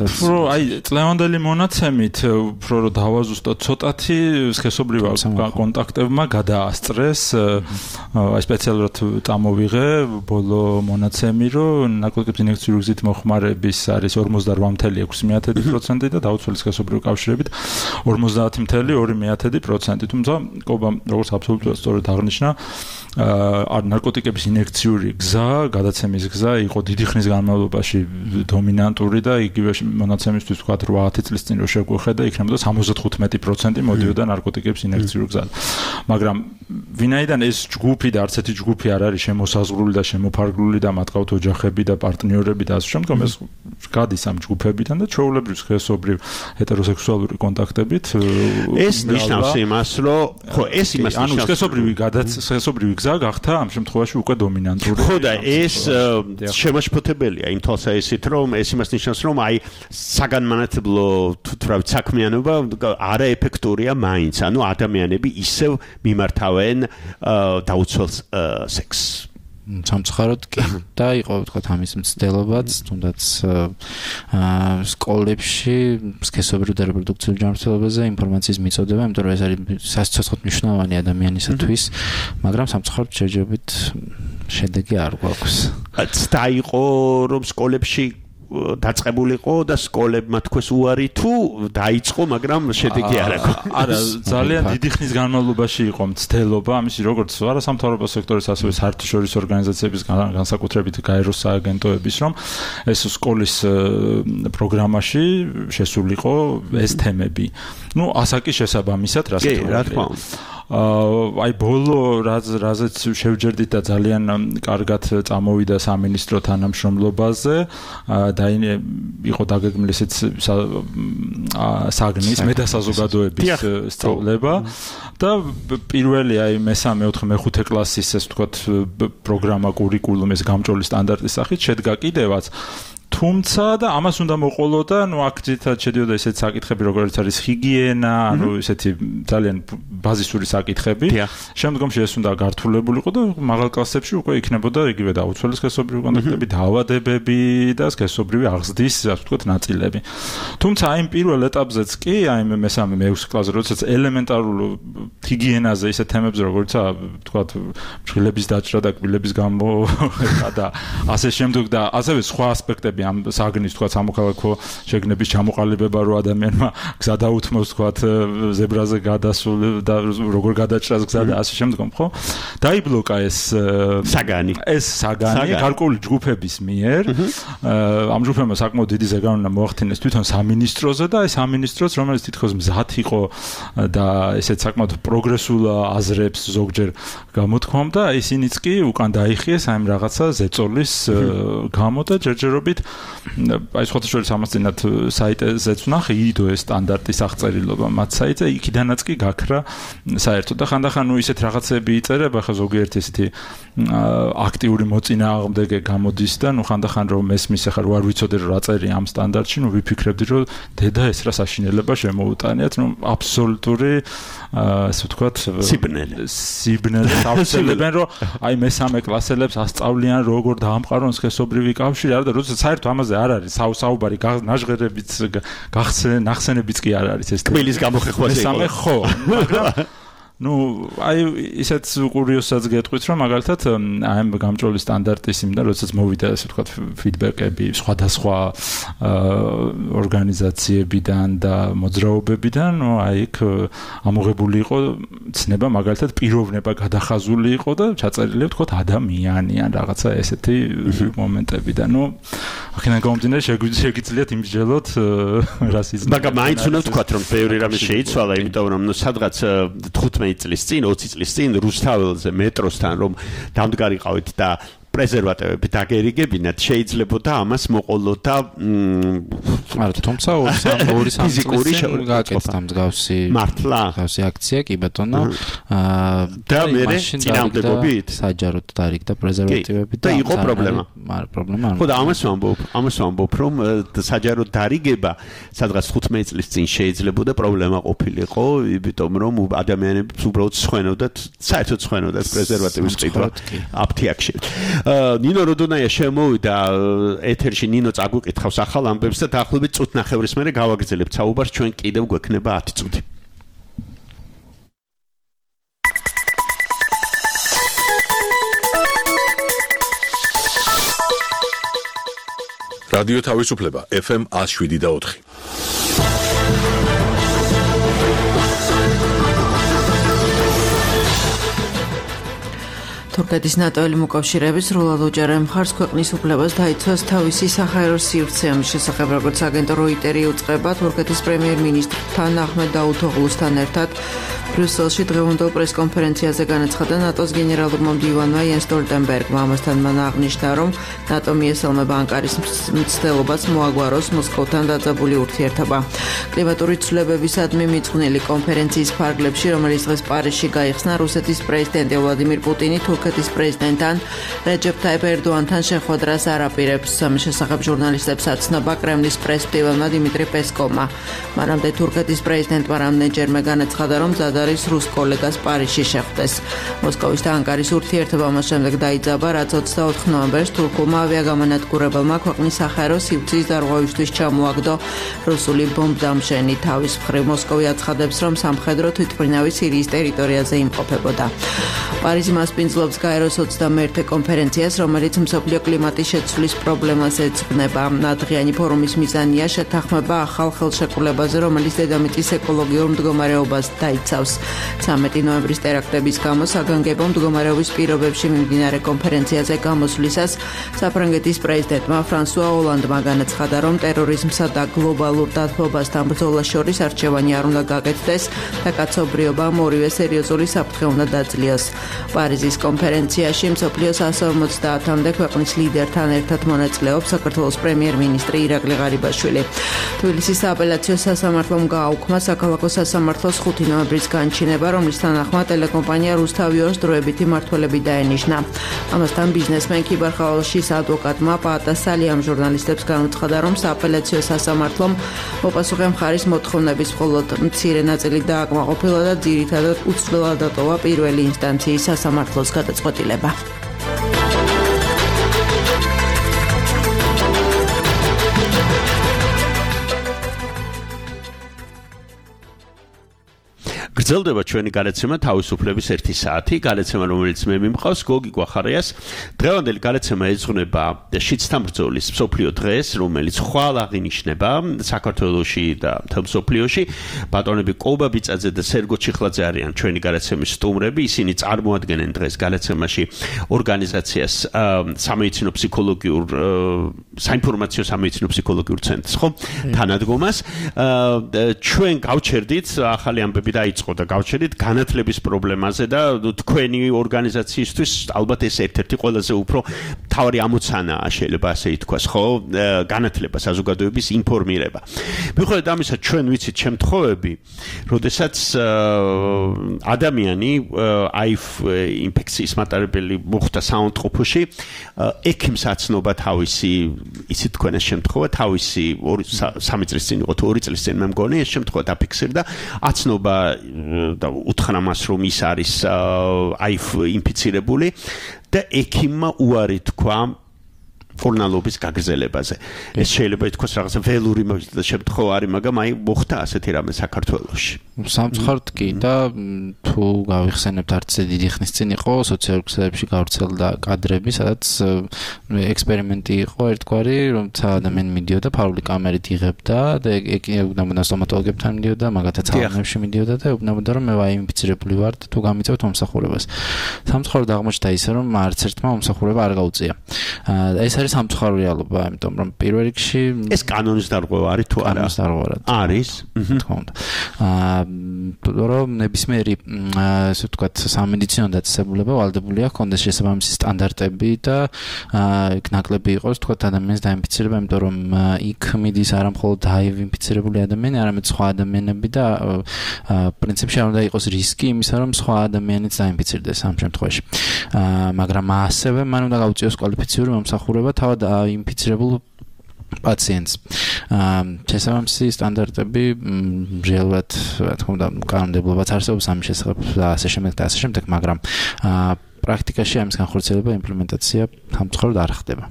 უფრო აი წლევანდელი მონაცემით უფრო რომ დავაზუსტოთ ცოტათი სქესობრივ კონტაქტებმა გადაასწრეს. აი სპეციალურად წამოვიღე ბოლო მონაცემი, რომ ნარკოტიკების ინექციური გზით მოხმარების არის 48.6% და დაუცველი სქესობრივი კავშირებით 50.2%. თუმცა კობა როგორც აბსოლუტურად სწორად აღნიშნა, ნარკოტიკების ინექციური გზა, გადაცემის გზა იყო დიდი ხნის განმავლობაში დომინანტური და იგივე მონაცემისთვის თქვა 8 წლის წინ რო შეგვიხედა იქნებოდა 75% მოდიოდა ნარკოტიკების ინერციულ გზად. მაგრამ ვინაიდან ეს ჯგუფი და არც ერთი ჯგუფი არ არის შემოსაზღვრული და შემოფარგლული და მათ ყავთ ოჯახები და პარტნიორები და ასე შემდგომ ეს გადის ამ ჯგუფებიდან და ჩვეულებრივ სქესობრივ ჰეტეროსექსუალური კონტაქტებით ეს ნიშნავს იმას რომ ხო ეს იმას ნიშნავს სქესობრივი გზა გახდა ამ შემთხვევაში უკვე დომინანტური ხო და ეს შემაშფოთებელია იმ თვალსაჩინო რომ ეს იმას ნიშნავს რომ აი საგანმანათლებლო თურავით საქმიანობა არაეფექტურია მაინც ანუ ადამიანები ისევ მიმართავენ დაუცველ სექსს სამწუხაროდ კი და იყო ვთქვათ ამის მცდელობაც თუნდაც სკოლებში სქესობრივ და რეპროდუქციულ ჯანმრთელობაზე ინფორმაციის მიწოდება იმიტომ რომ ეს არის სასიცოცხლოდ მნიშვნელოვანი ადამიანისათვის მაგრამ სამწუხაროდ შეჯობით შედეგი არ გვაქვს ცდა იყო რომ სკოლებში დაწყებულიყო და სკოლებმა თქვეს უარი თუ დაიწყო, მაგრამ შედეგი არ აქვს. არა, ძალიან დიდი ხნის განმავლობაში იყო მცდელობა, ამისი როგორც არასამთავრობო სექტორის, ასევე საერთაშორისო ორგანიზაციების განსაკუთრებით გაეროს სააგენტოების, რომ ეს სკოლის პროგრამაში შესულიყო ეს თემები. ნუ ასაკის შესაბამისად, რა თქმა უნდა. აი ბოლო რაზეც შევჯერდით და ძალიან კარგად წამოვიდა სამინისტრო თანამშრომლობაზე და იყო დაგეგმილი ესეც საგნის მეტასაზოგადოების სწავლება და პირველი აი მესამე, მეოთხე, მეხუთე კლასის ეს ვთქვათ პროგრამა კურიკულუმის გამჭოლი სტანდარტის სახით შედგა კიდევაც თუმცა და ამას უნდა მოყოლო და ნუ აქ ძირითადად შედიოდა ესეთი საკითხები როგორც არის ჰიგიენა, ანუ ესეთი ძალიან ბაზისური საკითხები. შემდგომში ეს უნდა გართულებულიყო და მაღალ კლასებში უკვე იქნებოდა იგივე დაუცველი სქესობრივი კონტაქტები, დაავადებები და სქესობრივი აღზრდის, ასე ვთქვათ, ნაწილები. თუმცა აი პირველ ეტაპზეც კი, აი მესამე, მეექვსე კლასზე, როდესაც ელემენტარულ ჰიგიენაზე ისეთ თემებზე როგორიცაა, ვთქვათ, ფრთილების დაჭრა და კბილების გამოხება და ასე შემდეგ და ასევე სხვა ასპექტები ამ საგნის თქვა სამოქალაქო შეგნების ჩამოყალიბება რო ადამიანმა გზა დაუთმოს თქვა ზებრაზე გადასულ და როგორ გადაჭრას გზა და ასე შემდგომ ხო დაიბლოკა ეს საგანი გარკვეული ჯგუფების მიერ ამ ჯგუფებმა საკმაოდ დიდი ზეგავლენა მოახდინეს თვითონ სამინისტროზე და ეს სამინისტროც რომელიც თითქოს მზად იყო და ესეც საკმაოდ პროგრესულ აზრებს ზოგჯერ გამოთქვამდა ისინიც კი უკან დაიხიეს აი რაღაცა ზეწოლის გამო და ჯერჯერობით აი სხვათაშორის ამას წინათ საიტეზეც ვნახე იდოეს სტანდარტის აღწერილობა მათ საიტზე იქიდანაც კი გაქრა საერთოდ და ხანდახან ნუ ისეთ რაღაცები იწერება ხა ზოგიერთი ესეთი აქტიური მოწინააღმდეგე გამოდის და ნუ ხანდახან რომ მესმის ახლა რო არ ვიცოდე რა წერია ამ სტანდარტში ნუ ვიფიქრებდი რომ დედა ეს რა საშინელება შემოუტანიათ ნუ აბსოლუტური ასე ვთქვათ სიბნელე დავწერებენ რომ აი მესამე კლასელებს ასწავლიან როგორ დაამყარონ სქესობრივი კავშირი არა და როდესაც საერთოდ ამაზე არ არის საუბარი ნაჟღერებიც ნახსენებიც კი არ არის ეს კბილის გამოხეხვაზე მესამე ხო მაგრამ ну, აი ისეთ კურიოზსაც გეტყვით, რომ მაგალითად აი გამჭოლი სტანდარტის იმდა, როდესაც მოვიდა ასე ვთქვათ ფიდბექები სხვადასხვა ორგანიზაციებიდან და მოძრაობებიდან, ну, აი იქ ამოღებული იყო ცნება მაგალითად პიროვნება გადახაზული იყო და ჩაწერილი ვთქვათ ადამიანი ან რაღაცა ესეთი მომენტები და ну, ახლა გამომდინარე შეგიძლიათ იმსჯელოთ რასიზმი. მაგრამ მაინც უნდა ვთქვათ, რომ ბევრი რამე შეიცვალა, იმიტომ რომ ну, სადღაც 15 წლის წინ, 20 წლის წინ რუსთაველზე მეტროსთან რომ დამდგარიყავით და პრეზერვატივები დაგერიგებინათ, შეიძლებოდა ამას მოყოლოთ და არა, თუმცა ორი ფიზიკური გააკეთა მსგავსი მართლა მსგავსი აქცია კი ბატონო და მე წინამდებობით საჯაროდ დარიგდა პრეზერვატივები და იყო პრობლემა. პრობლემა არ. ხო და ამას ვამბობ, რომ საჯაროდ დარიგება სადღაც 15 წლის წინ შეიძლებოდა პრობლემა ყოფილიყო, იმიტომ რომ ადამიანები უბრალოდ სხვენოდათ, საერთოდ სხვენოდათ პრეზერვატივის ყიდვა აფთიაქში. ნინო როდონაია შემოვიდა ეთერში ნინო წაგვიკითხავს ახალ ამბებს და დაახლოებით წუთნახევრის მერე გავაგრძელებთ საუბარს ჩვენ კიდევ გვექნება 10 წუთი. რადიო თავისუფლება FM 107.4 12 თურქეთის ნატოელი მოკავშირეები სრულად უჭერენ მხარს ქვეყნის უფლებას დაიცვას თავისი საჰაერო სივრცე. ამის შესახებ, როგორც აგენტურა Reuters უწყება, თურქეთის პრემიერ-მინისტრთან აჰმედ დავუთოღლუსთან ერთად ბრიუსელში დღევანდელ პრესკონფერენციაზე განაცხადა ნატოს გენერალურმა მდივანმა იენს სტოლტენბერგმა. ამასთან მან აღნიშნა, რომ ნატო მიესალმება ანკარის მცდელობას მოაგვაროს მოსკოვთან დაძაბული ურთიერთობა. კლიმატური ცვლილებებისადმი მიძღვნილი კონფერენციის ფარგლებში, რომელიც დღეს პარიზში გაიხსნა, რუსეთის პრეზიდენტი ვლადიმირ პუტინი თურქეთის პრეზიდენტთან რეჯეფ ტაიპ ერდოანთან შეხვედრას არ აპირებს. ამის შესახებ ჟურნალისტებს აცნობა კრემლის პრეს-მდივანმა დიმიტრი პესკოვმა. მანამდე თურქეთის პრეზიდენტმა რამდენჯერმე განაცხადა, რომ მზად არის რუს კოლეგას პარიზში შეხვდეს. მოსკოვის და ანკარის ურთიერთობა მას შემდეგ დაიძაბა, რაც 24 ნოემბერს თურქულმა ავიაგამანადგურებელმა ქვეყნის საჰაერო სივრცის დარღვევისთვის ჩამოაგდო რუსული ბომბდამშენი. თავის მხრივ მოსკოვი აცხადებს, რომ სამხედრო თვითმფრინავი სირიის ტერიტორიაზე იმყოფებოდა. პარიზი მასპინძლობს გაეროს 21-ე კონფერენციას, რომელიც მსოფლიო კლიმატის შეცვლის პრობლემას ეძღვნება. დღიანი ფორუმის მიზანია შეთანხმება ახალ ხელშეკრულებაზე, რომელიც დედამიწის ეკოლოგიურ მდგომარეობას დაიცავს. 13 ნოემბრის ტერაქტების გამო საგანგებო მდგომარეობის პირობებში მიმდინარე კონფერენციაზე გამოსვლისას საფრანგეთის პრეზიდენტმა ფრანსუა ოლანდმა განაცხადა, რომ ტერორიზმსა და გლობალურ დათბობასთან ბრძოლას შორის არჩევანი არ უნდა გაკეთდეს და კაცობრიობამ ორივე სერიოზული საფრთხე უნდა დაძლიოს. პარიზის კონფერენციაში მსოფლიოს 150-მდე ქვეყნის ლიდერთან ერთად მონაწილეობს საქართველოს პრემიერ-მინისტრი ირაკლი ღარიბაშვილი. თბილისის სააპელაციო სასამართლომ გააუქმა საქალაქო სასამართლოს 5 ნოემბრის განჩინება, რომლის თანახმად ტელეკომპანია რუსთავიორს დროებითი მმართველები დაენიშნა. ამასთან ბიზნესმენ ქიბარხალაშის ადვოკატმა პაატა სალიამ ჟურნალისტებს განუცხადა, რომ სააპელაციო სასამართლომ მოპასუხე მხარის მოთხოვნების მხოლოდ მცირე ნაწილი დააკმაყოფილა და ძირითადად უცვლელად დატოვა პირველი ინსტანციის სასამართლოს გადაწყვეტილება. გრძელდება ჩვენი გადაცემა თავისუფლების 1 საათი, გადაცემა რომელიც მე მიმყავს გოგი გვახარიას. დღევანდელი გადაცემა ეძღვნება შიდსთან ბრძოლის მსოფლიო დღეს, რომელიც ხვალ აღინიშნება საქართველოში და მთელ მსოფლიოში. ბატონები კობა ბიწაძე და სერგო ჩიხლაძე არიან ჩვენი გადაცემის სტუმრები. ისინი წარმოადგენენ დღეს გადაცემაში ორგანიზაციას საინფორმაციო სამედიცინო ფსიქოლოგიურ ცენტრს, ხო? თანადგომას. ჩვენ გავჩერდით ახალი ამბები დაიწყო და გავჩერდით განათლების პრობლემაზე და თქვენი ორგანიზაციისთვის ალბათ ეს ერთ-ერთი ყველაზე უფრო მთავარი ამოცანაა, შეიძლება ასე ითქვას, ხო? განათლება, საზოგადოების ინფორმირება. მიუხედავად ამისა, ჩვენ ვიცით შემთხვევები, როდესაც ადამიანი აიფ ინფექციის მატარებელი მოხდა საავადმყოფოში, ექიმს აცნობა თავისი, იცით თქვენ ეს შემთხვევა, თავისი 3 წლის წინ იყო თუ 2 წლის წინ მე მგონი ეს შემთხვევა დაფიქსირდა, აცნობა და უთხრა მას, რომ ის არის აიფ ინფიცირებული და ექიმმა უარი თქვა ორნალობის გაგრძელებაზე. ეს შეიძლება ითქვას რაღაცა ველური შემთხვევა არის, მაგრამ აი მოხდა ასეთი რამე საქართველოში. სამწუხაროდ კი და თუ გავიხსენებთ არც დიდი ხნის წინ იყო სოციალურ ქსელებში გავრცელდა კადრები, სადაც ექსპერიმენტი იყო ერთგვარი, რომელთა ადამიანი მიდიოდა ფარული კამერით იღებდა და ეუბნებოდა სტომატოლოგებთან მიდიოდა, მაგათაც ალანებში მიდიოდა და ეუბნებოდა, რომ მე ვაი ინფიცირებული ვარ და თუ გამიწევთ მომსახურებას. სამწუხაროდ აღმოჩნდა ისე, რომ არც ერთმა მომსახურება არ გაუწია. ეს არის სამწუხარო რეალობა, იმიტომ რომ პირველ რიგში ეს კანონის დარღვევა არის თუ არა? კანონის დარღვევა არის. თქო უნდა. რომ ნებისმიერი ასე ვთქვათ სამედიცინო დაწესებულება ვალდებულია ჰქონდეს შესაბამისი სტანდარტები და იქ ნაკლები იყოს ვთქვათ ადამიანის დაინფიცირება, იმიტომ რომ იქ მიდის არა მხოლოდ აივ ინფიცირებული ადამიანი, არამედ სხვა ადამიანები და პრინციპში არ უნდა იყოს რისკი იმისა, რომ სხვა ადამიანიც დაინფიცირდეს ამ შემთხვევაში. მაგრამ ასევე მან უნდა გაუწიოს კვალიფიციური მომსახურება თავად ინფიცირებულ პაციენტს. შესაბამისი სტანდარტები რეალურად, რა თქმა უნდა, კანონმდებლობაც არსებობს ამის შესახებ და ასე შემდეგ, მაგრამ პრაქტიკაში ამის განხორციელება, იმპლემენტაცია სამწუხაროდ არ ხდება.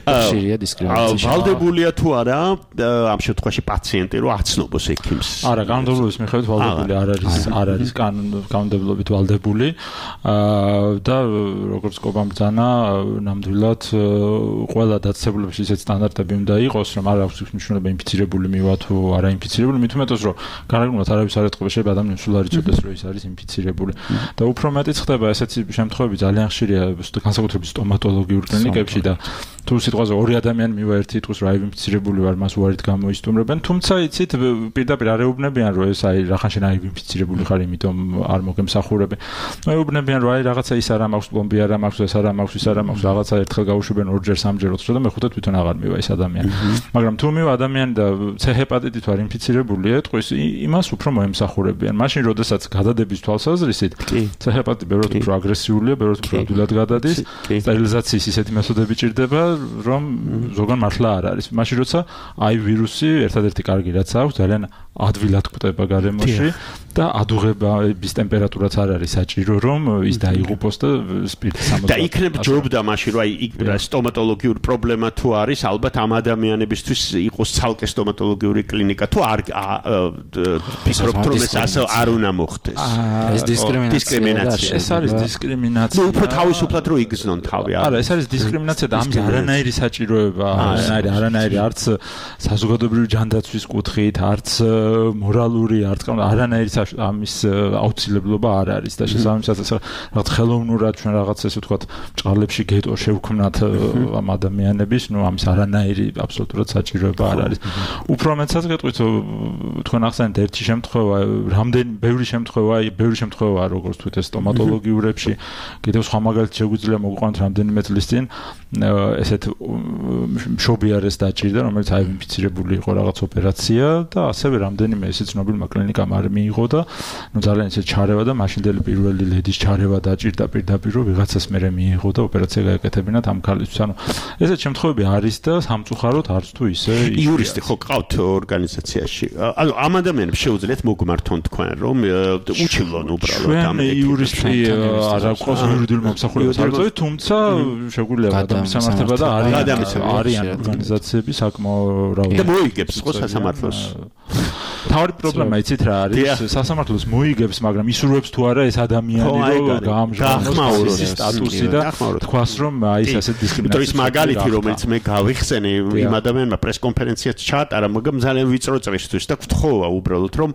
ხშირია დისკრიმინაცია. ვალდებულია თუ არა ამ შემთხვევაში პაციენტი რომ აცნობს ექიმს? არა, კანონმდებლობის მიხედვით ვალდებული არ არის კანონმდებლობით ვალდებული და როგორც კობამ ბრძანა, ნამდვილად ყველა დაწესებულების ისეთ სტანდარტები უნდა იყოს, რომ არ აქვს მნიშვნელობა ინფიცირებული მივა თუ არა ინფიცირებული, მით უმეტეს რომ გარეგნულად არავის არ ეთყობა, შეიძლება ადამიანს სულ არ იცოდეს რომ ის არის ინფიცირებული. და უფრო მეტიც ხდება ესეთი შემთხვევები ძალიან ხშირია განსაკუთრებით სტომატოლოგიურ კლინიკებში და თუ სიტყვაზე ორი ადამიანი მივა ერთი იტყვის რომ აი ინფიცირებული ვარ, მას უარით გამოისტუმრებენ, თუმცა იცით პირდაპირ არ ეუბნებიან რომ ეს აი რახან შენ აი ინფიცირებული ხარ, იმიტომ არ მოგემსახურებენ. ეუბნებიან რომ აი რაღაცა ის არ მაქვს, პლომბი არ მაქვს, ეს არ მაქვს, ის არ მაქვს, რაღაცა ერთხელ გავუშვებენ ორჯერ სამჯერ ოთხჯერ და მეხუთე თვითონ აღარ მივა ეს ადამიანი. მაგრამ თუ მივა ადამიანი და C ჰეპატიტით ვარ ინფიცირებული ეტყვის, იმას უფრო მოემსახურებიან. მაშინ როდესაც გადადების თვალსაზრისით C ჰეპატიტი ბევრად უფრო აგრესიულია, ბევრად უფრო ადვილად გადადის, სტერილიზაციის ისეთი მეთოდები ჭირდება, რომ ზოგან მართლა არ არის. მაშინ როცა აი ვირუსი ერთადერთი კარგი რაც აქვს, ძალიან ადვილად კვდება გარემოში და ადუღების ტემპერატურაც არ არის საჭირო, რომ ის დაიღუპოს და სპირტის 60. და იქნებ ჯობდა მაშინ რომ აი სტომატოლოგიური პრობლემა თუ არის, ალბათ ამ ადამიანებისთვის იყოს ცალკე სტომატოლოგიური კლინიკა თუ არ ფიქრობთ რომ ეს ასე არ უნდა მოხდეს. ეს დისკრიმინაცია. ეს არის დისკრიმინაცია. უფრო თავისუფლად რომ იგზნონ თავი. არა, ეს არის დისკრიმინაცია და ამის არანაირი საჭიროება, არანაირი არც საზოგადოებრივი ჯანდაცვის კუთხით, არც მორალური, არც არანაირი ამის აუცილებლობა არ არის და შესაბამისად რაღაც ხელოვნურად ჩვენ რაღაც ესე ვთქვათ ჭყალებში გეტო შევქმნათ ამ ადამიანების, ნუ ამის არანაირი აბსოლუტურად საჭიროება არ არის. უფრო მეტსაც გეტყვით თქვენ ახსენეთ ერთი შემთხვევა, რამდენი ბევრი შემთხვევა როგორც თქვით ეს სტომატოლოგიურებში, კიდევ სხვა მაგალითი შეგვიძლია მოგვიყვანოთ რამდენიმე წლის წინ ესეთ მშობიარეს დაჭირდა, რომელიც აი ინფიცირებული იყო რაღაც ოპერაცია და ასევე რამდენიმე ესე ცნობილმა კლინიკამ არ მიიღო და ნუ ძალიან ისე ჩარევა და მაშინდელი პირველი ლედის ჩარევა დაჭირდა პირდაპირ რომ ვიღაცას მერე მიიღო და ოპერაცია გაეკეთებინათ ამ ქალისთვის. ანუ ესეთ შემთხვევები არის და სამწუხაროდ არც თუ ისე იურისტი ხო გყავთ ორგანიზაციაში? ანუ ამ ადამიანებს შეუძლიათ მოგმართონ თქვენ რომ უჩილონ უბრალოდ ამ იურისტი არ აქვს იურიდიულ მომსახურებას არ წევი, თუმცა შეგვიძლია გადამისამართება და არიან ორგანიზაციები საკმაო რაოდენობით. და მოიგებს ხო სასამართლოს? თავი პრობლემა იცით რა არის? სასამართლოს მოიგებს, მაგრამ ისურვებს თუ არა ეს ადამიანი რომ გაამჟღავნოს ის სტატუსი და თქვას რომ აი ეს ასე დისკრიმინაცია. ის მაგალითი რომელიც მე გავიხსენე იმ ადამიანმა პრესკონფერენციაც ჩაატარა, მაგრამ ძალიან ვიწრო წრისთვის და გთხოვა უბრალოდ რომ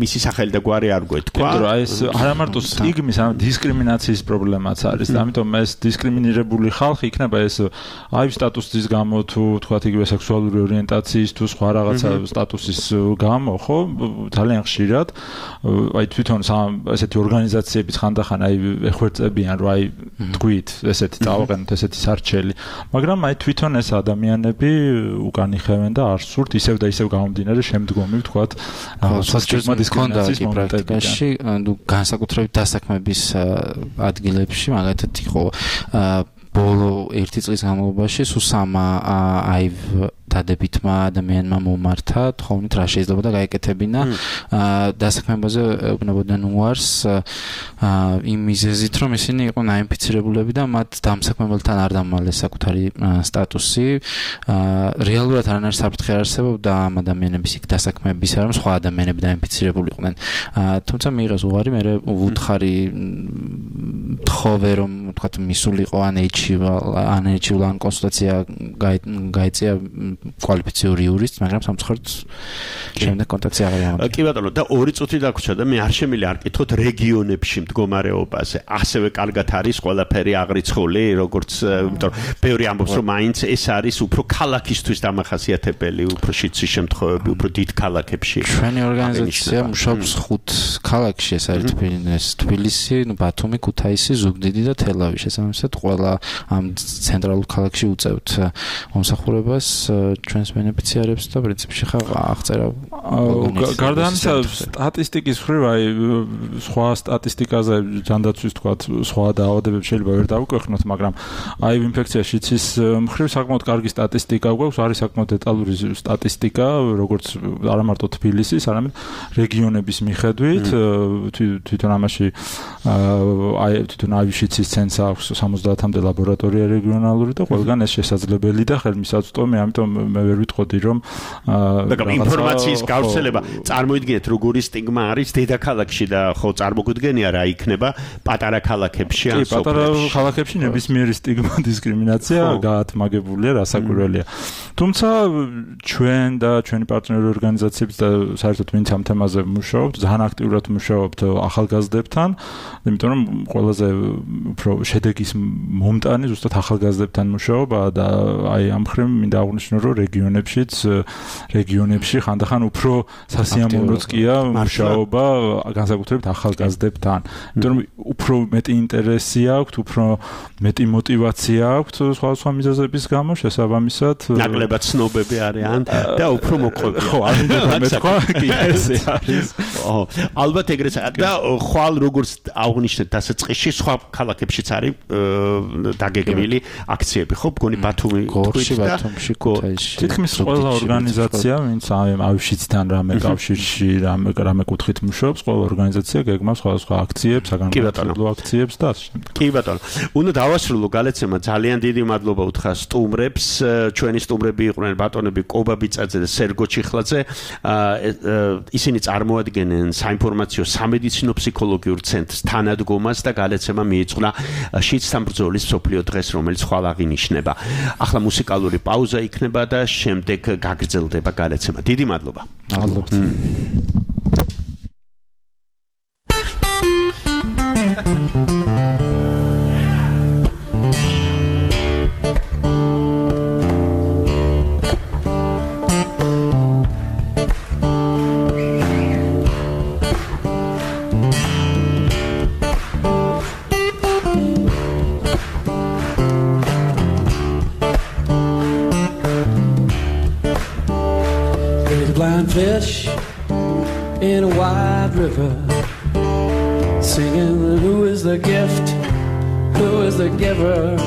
მისი სახელი და გვარი არ გვეთქვა. იმიტომ რომ აი ეს არა მარტო სტიგმის, ან დისკრიმინაციის პრობლემაც არის და ამიტომ ეს დისკრიმინირებული ხალხი იქნება ეს აი სტატუსის გამო თუ თქვათ იგივე სექსუალური ორიენტაციის თუ სხვა რაღაცა სტატუსის გამო, ხო? ძალიან ხშირად აი თვითონ ესეთი ორგანიზაციების ხანდახან აი ეხვერწებიან რომ აი თქვით ესეთი წავაყენოთ ესეთი სარჩელი, მაგრამ აი თვითონ ეს ადამიანები უკან იხევენ და არ სურთ ისევ და ისევ გამომდინარე შემდგომი ვთქვათ სასტიკმა დისკრიმინაციის პრაქტიკაში, ნუ განსაკუთრებით დასაქმების ადგილებში მაგათად იყო ბოლო 1 წლის განმავლობაში სუსამა აი დადებითმა ადამიანმა მომართა, თხოვნით რა შეიძლება და გაეკეთებინა დასაქმებაზე ეუბნებოდნენ უარს იმ მიზეზით, რომ ისინი იყვნენ აინფიცირებულები და მათ დამსაქმებელთან არ დამალეს საკუთარი სტატუსი. რეალურად არანაირი საფრთხე არ არსებობდა ამ ადამიანების იქ დასაქმების, რომ სხვა ადამიანები დაინფიცირებული იყვნენ. თუმცა მიიღეს უარი, მე ვუთხარი თხოვე რომ თქვათ მისულიყო ანეჩიულ ან კონსულტაცია გაიწია კვალიფიციური იურისტს, მაგრამ სამწუხაროდ შემდეგ კონტაქტი აღარ ამოწია. კი ბატონო, და 2 წუთი დაგვრჩა და მე არ შემიძლია არ კითხოთ რეგიონებში მდგომარეობაზე. ასევე კარგად არის ყველაფერი აღრიცხული, როგორც იმიტომ რომ ბევრი ამბობს რომ მაინც ეს არის უფრო ქალაქისთვის დამახასიათებელი, უფრო შიცის შემთხვევები, უფრო დიდ ქალაქებში. ჩვენი ორგანიზაცია მუშაობს 5 ქალაქში, ეს არის თბილისი, ბათუმი, ქუთაისი, ზუგდიდი და თელავი. შესაბამისად ყველა ამ ცენტრალურ ქალაქში უწევთ მომსახურებას ჩვენს ბენეფიციარებს და პრინციპში ხა აღწერა გარდა ამისა სტატისტიკის მხრივ აი სხვა სტატისტიკაზე ჯანდაცვის თქვა სხვა დაავადებები შეიძლება ვერ დავიკვეხნოთ, მაგრამ აი ინფექციაში ცის მხრივ საკმაოდ კარგი სტატისტიკა გვაქვს, არის საკმაოდ დეტალური სტატისტიკა, როგორც არა მარტო თბილისის, არამედ რეგიონების მიხედვით, თვითონ ამაში აი თვითონ აივიშიცის ცენტრს აქვს 70-მდე ლაბორატორია რეგიონალური და ყველგან ეს შესაძლებელი და ხელმისაწვდომი, ამიტომ მე ვერ ვიტყოდი რომ ინფორმაციის გავრცელება წარმოიდგინეთ როგორი სტიგმა არის დედაქალაქში და ხო წარმოგვიდგენია რა იქნება პატარა ქალაქებში ან სოფლებში. პატარა ქალაქებში ნებისმიერი სტიგმა დისკრიმინაცია გაათმაგებულია, რასაკვირველია. თუმცა ჩვენ და ჩვენი პარტნიორი ორგანიზაციებიც და საერთოდ ვინც ამ თემაზე მუშაობთ, ძალიან აქტიურად მუშაობთ ახალგაზრდებთან, იმიტომ რომ ყველაზე უფრო შედეგის მომტანი ზუსტად ახალგაზრდებთან მუშაობა და აი ამ მხრივ მინდა აღვნიშნო რომ რეგიონებში ხანდახან უფრო სასიამოვნოც კია მუშაობა განსაკუთრებით ახალგაზრდებთან. იმიტომ რომ უფრო მეტი ინტერესი აქვთ, უფრო მეტი мотиваცია აქვთ სხვა მიზეზების გამო შესაბამისად ნაკლებად ცნობები არიან და უფრო მოყვები. ხო, არ უნდა მეთქვა, კი ეს არის. ალბათ ეგრეც და ხვალ როგორც აღნიშნეთ დასაწყისში სხვა ქალაქებშიც არის დაგეგმილი აქციები, ხო, მგონი ბათუმი გორში, ბათუმში, ქუთაისში. თითქმის ყველა ორგანიზაცია, ვინც აივშიცთან რამე კავშირში, რამე კუთხით მუშაობს, ყველა ორგანიზაცია გეგმავს სხვადასხვა აქციებს, საგანმანათლებლო აქციებს და ასე შემდეგ. კი ბატონო. უნდა დავასრულო გალეცემა, ძალიან დიდი მადლობა უთხრა სტუმრებს. ჩვენი სტუმრები იყვნენ ბატონები კობა ბიწაძე და სერგო ჩიხლაძე. ისინი წარმოადგენენ საინფორმაციო სამედიცინო ფსიქოლოგიურ ცენტრს თანადგომას და გალეცემა მიეძღვნა შიდსთან ბრძოლის მსოფლიო დღეს, რომელიც ხვალ აღინიშნება. ახლა მუსიკალური პაუზა იქნება და შემდეგ გაგრძელდება გალეცემა. დიდი მადლობა. მადლობთ. Fish in a wide river, singing, who is the gift, who is the giver?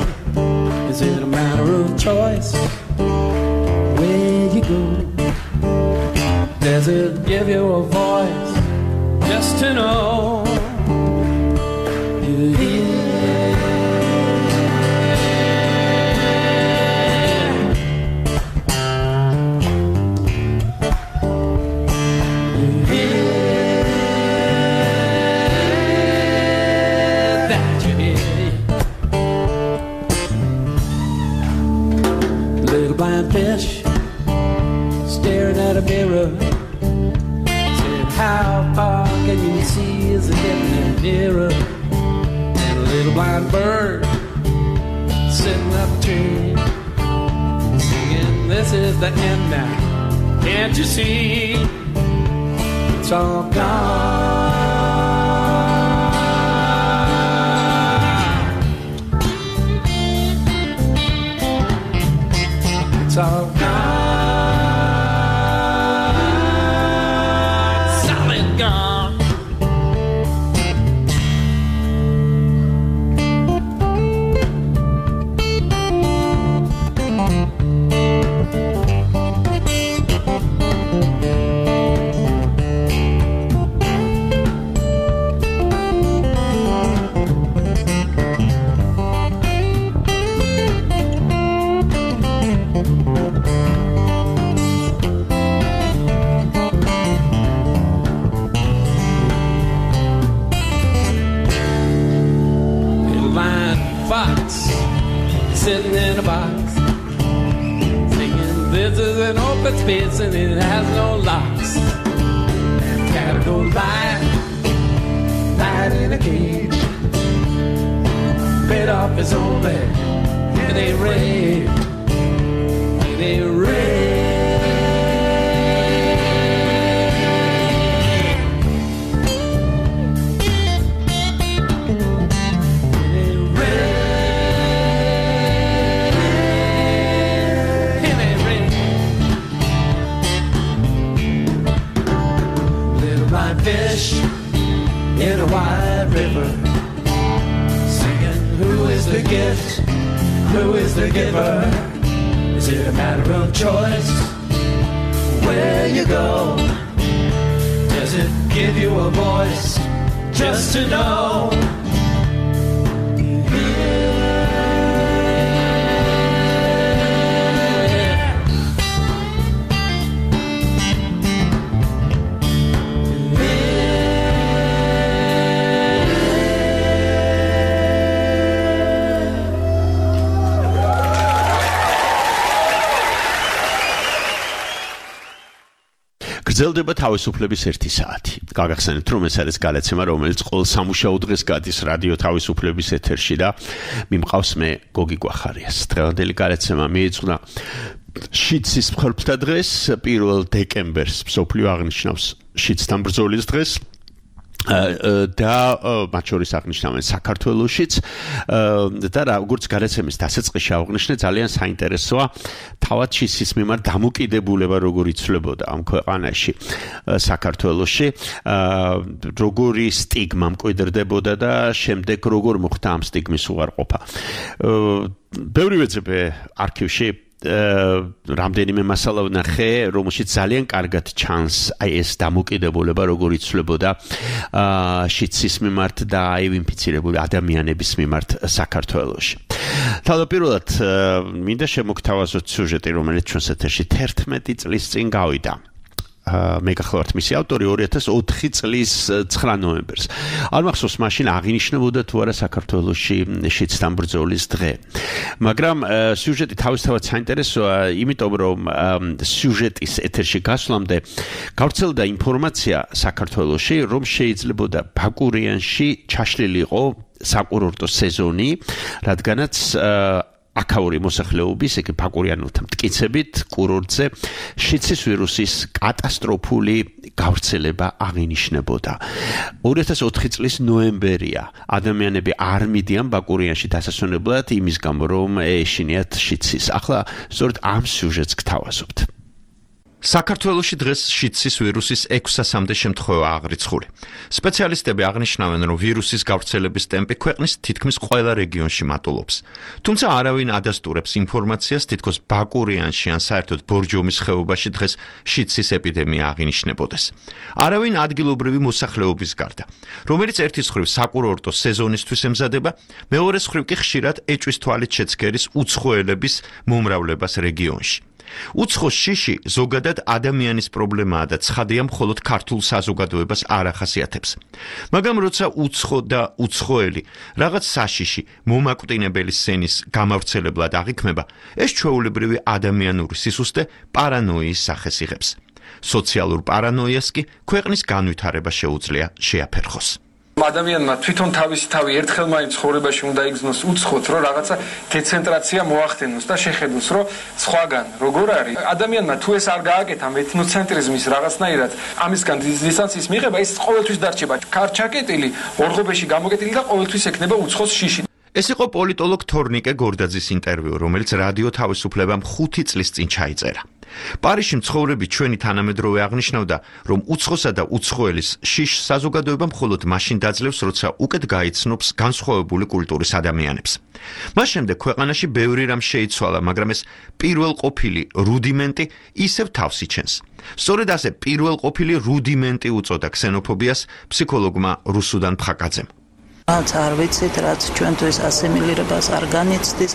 Is it a matter of choice where you go? Does it give you a voice just to know you're here? Blind fish staring at a mirror, said, how far can you see as it getting nearer? And a little blind bird sitting up a tree, singing, this is the end now, can't you see? It's all gone. It's all gone, solid gone. Sitting in a box, singing, this is an open space and it has no locks. Cat goes lying in a cage, bit off his own leg, and they rave, and they rave. Who is the giver? Is it a matter of choice? Where you go? Does it give you a voice? Just to know. გრძელდება თავისუფლების 1 საათი. გაგახსენებთ, რომ ეს არის გადაცემა, რომელიც ყოველ სამუშაო დღეს გადის რადიო თავისუფლების ეთერში და მიმყავს მე გოგი გვახარიას. დღევანდელი გადაცემა მიეძღვნა შიცის მსხვერპლთა დღეს, 1 დეკემბერს მსოფლიო აღნიშნავს შიცთან ბრძოლის დღეს. და მათ შორის აღნიშნავენ საქართველოშიც და როგორც გადაცემის დასაწყისში აღნიშნე ძალიან საინტერესოა თავად შიცის მიმართ დამოკიდებულება როგორ იცვლებოდა ამ ქვეყანაში საქართველოში როგორი სტიგმა მკვიდრდებოდა და შემდეგ როგორ მოხდა ამ სტიგმის უარყოფა ბევრი ვეძებე არქივში რამდენიმე მასალა ვნახე, რომელშიც ძალიან კარგად ჩანს აი ეს დამოკიდებულება როგორ იცვლებოდა შიცის მიმართ და აი ინფიცირებული ადამიანების მიმართ საქართველოში. თავდაპირველად მინდა შემოგთავაზოთ სიუჟეტი, რომელიც ჩვენს ეთერში 11 წლის წინ გავიდა. მე გახლავართ მისი ავტორი 2004 წლის 9 ნოემბერს. არ მახსოვს მაშინ აღინიშნებოდა თუ არა საქართველოში შიცთან ბრძოლის დღე. მაგრამ სიუჟეტი თავისთავად საინტერესოა, იმიტომ რომ სიუჟეტის ეთერში გასვლამდე გავრცელდა ინფორმაცია საქართველოში, რომ შეიძლებოდა ბაკურიანში ჩაშლილიყო საკურორტო სეზონი, რადგანაც აქაური მოსახლეობის, ეგ ბაკურიანელთა მტკიცებით, კურორტზე შიცის ვირუსის კატასტროფული გავრცელება აღინიშნებოდა. 2004 წლის ნოემბერია. ადამიანები არ მიდიან ბაკურიანში დასასვენებლად იმის გამო, რომ ეშინიათ შიცის. ახლა სწორედ ამ სიუჟეტს გთავაზობთ. საქართველოში დღეს შიცის ვირუსის 600-მდე შემთხვევა აღრიცხული. სპეციალისტები აღნიშნავენ, რომ ვირუსის გავრცელების ტემპი ქვეყნის თითქმის ყველა რეგიონში მატულობს. თუმცა არავინ ადასტურებს ინფორმაციას, თითქოს ბაკურიანში ან საერთოდ ბორჯომის ხეობაში დღეს შიცის ეპიდემია აღინიშნებოდეს. არავინ ადგილობრივი მოსახლეობის გარდა, რომელიც ერთის მხრივ საკურორტო სეზონისთვის ემზადება, მეორეს მხრივ კი ხშირად ეჭვის თვალით შეცქერის უცხოელების მომრავლებას რეგიონში. უცხო შიში ზოგადად ადამიანის პრობლემაა და ცხადია მხოლოდ ქართულ საზოგადოებას არ ახასიათებს. მაგრამ როცა უცხო და უცხოელი რაღაც საშიში მომაკვდინებელი სენის გამავრცელებლად აღიქმება, ეს ჩვეულებრივი ადამიანური სისუსტე პარანოიის სახეს იღებს. სოციალურ პარანოიას კი ქვეყნის განვითარება შეუძლია შეაფერხოს. ადამიანმა თვითონ თავისი თავი ერთხელ მაინც ცხოვრებაში უნდა იგრძნოს უცხოთ, რომ რაღაცა დეცენტრაცია მოახდენოს და შეხედოს, რომ სხვაგან როგორ არის. ადამიანმა თუ ეს არ გააკეთა ეთნოცენტრიზმის რაღაცნაირად ამისგან დისტანციის მიღება, ის ყოველთვის დარჩება კარჩაკეტილი, ორღობეში გამოკეტილი და ყოველთვის ექნება უცხოს შიში. ეს იყო პოლიტოლოგ თორნიკე გორდაძის ინტერვიუ, რომელიც რადიო თავისუფლებამ 5 წლის წინ ჩაიწერა. პარიზში მცხოვრები ჩვენი თანამედროვე აღნიშნავდა, რომ უცხოსა და უცხოელის შიშს საზოგადოება მხოლოდ მაშინ დაძლევს, როცა უკეთ გაიცნობს განსხვავებული კულტურის ადამიანებს. მას შემდეგ ქვეყანაში ბევრი რამ შეიცვალა, მაგრამ ეს პირველყოფილი რუდიმენტი ისევ თავს იჩენს. სწორედ ასე პირველყოფილი რუდიმენტი უწოდა ქსენოფობიას ფსიქოლოგმა რუსუდან ფხაკაძემ. რაც არ ვიცით, რაც ჩვენთვის ასიმილირებას არ განიცდის,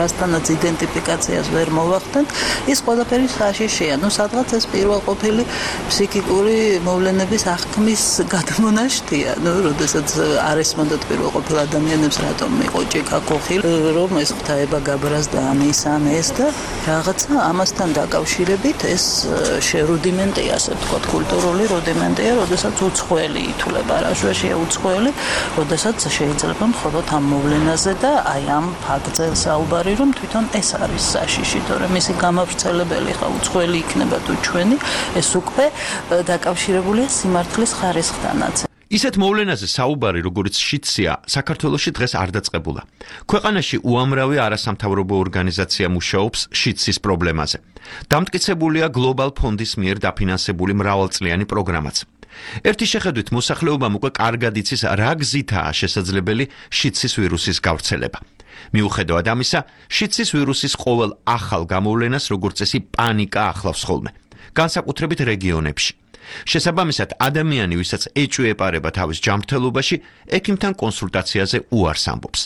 რასთანაც იდენტიფიკაციას ვერ მოვახდენთ, ის ყველაფერი საშიშია. სადღაც ეს პირველყოფილი ფსიქიკური მოვლენების აღქმის გადმონაშთია. როდესაც არ ესმოდათ პირველყოფილ ადამიანებს, რატომ იყო ჭიქა კოხი, რომ ეს ღვთაება გაბრას და ამის ან ეს და რაღაცა ამასთან დაკავშირებით ეს რუდიმენტია, ასე ვთქვათ, კულტურული რუდიმენტია, როდესაც უცხოელი ითვლება. რა შეშია უცხოელი? როდესაც შეიძლება მხოლოდ ამ მოვლენაზე და აი ამ ფაქტზე საუბარი, რომ თვითონ ეს არის საშიში, თორემ მისი გამავრცელებელი ხა უცხოელი იქნება თუ ჩვენი, ეს უკვე დაკავშირებულია სიმართლის ხარისხთანაც. ისეთ მოვლენაზე საუბარი, როგორც შიცია, საქართველოში დღეს არ დაწყებულა. ქვეყანაში უამრავი არასამთავრობო ორგანიზაცია მუშაობს შიცის პრობლემაზე. დამტკიცებულია გლობალ ფონდის მიერ დაფინანსებული მრავალწლიანი პროგრამაც. ერთი შეხედვით მოსახლეობამ უკვე კარგად იცის, რა გზითაა შესაძლებელი შიცის ვირუსის გავრცელება. მიუხედავად ამისა, შიცის ვირუსის ყოველ ახალ გამოვლენას როგორც წესი პანიკა ახლავს ხოლმე, განსაკუთრებით რეგიონებში. შესაბამისად, ადამიანი, ვისაც ეჭვი ეპარება თავის ჯანმრთელობაში, ექიმთან კონსულტაციაზე უარს ამბობს.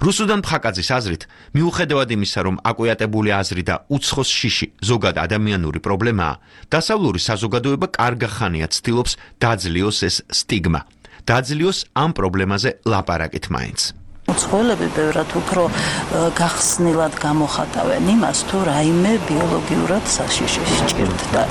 რუსუდან ფხაკაძის აზრით, მიუხედავად იმისა, რომ აკვიატებული აზრი და უცხოს შიში ზოგად ადამიანური პრობლემაა, დასავლური საზოგადოება კარგა ხანია ცდილობს დაძლიოს ეს სტიგმა. დაძლიოს ამ პრობლემაზე ლაპარაკით მაინც. უცხოელები ბევრად უფრო გახსნილად გამოხატავენ იმას, თუ რაიმე ბიოლოგიურად საშიში სჭირთ და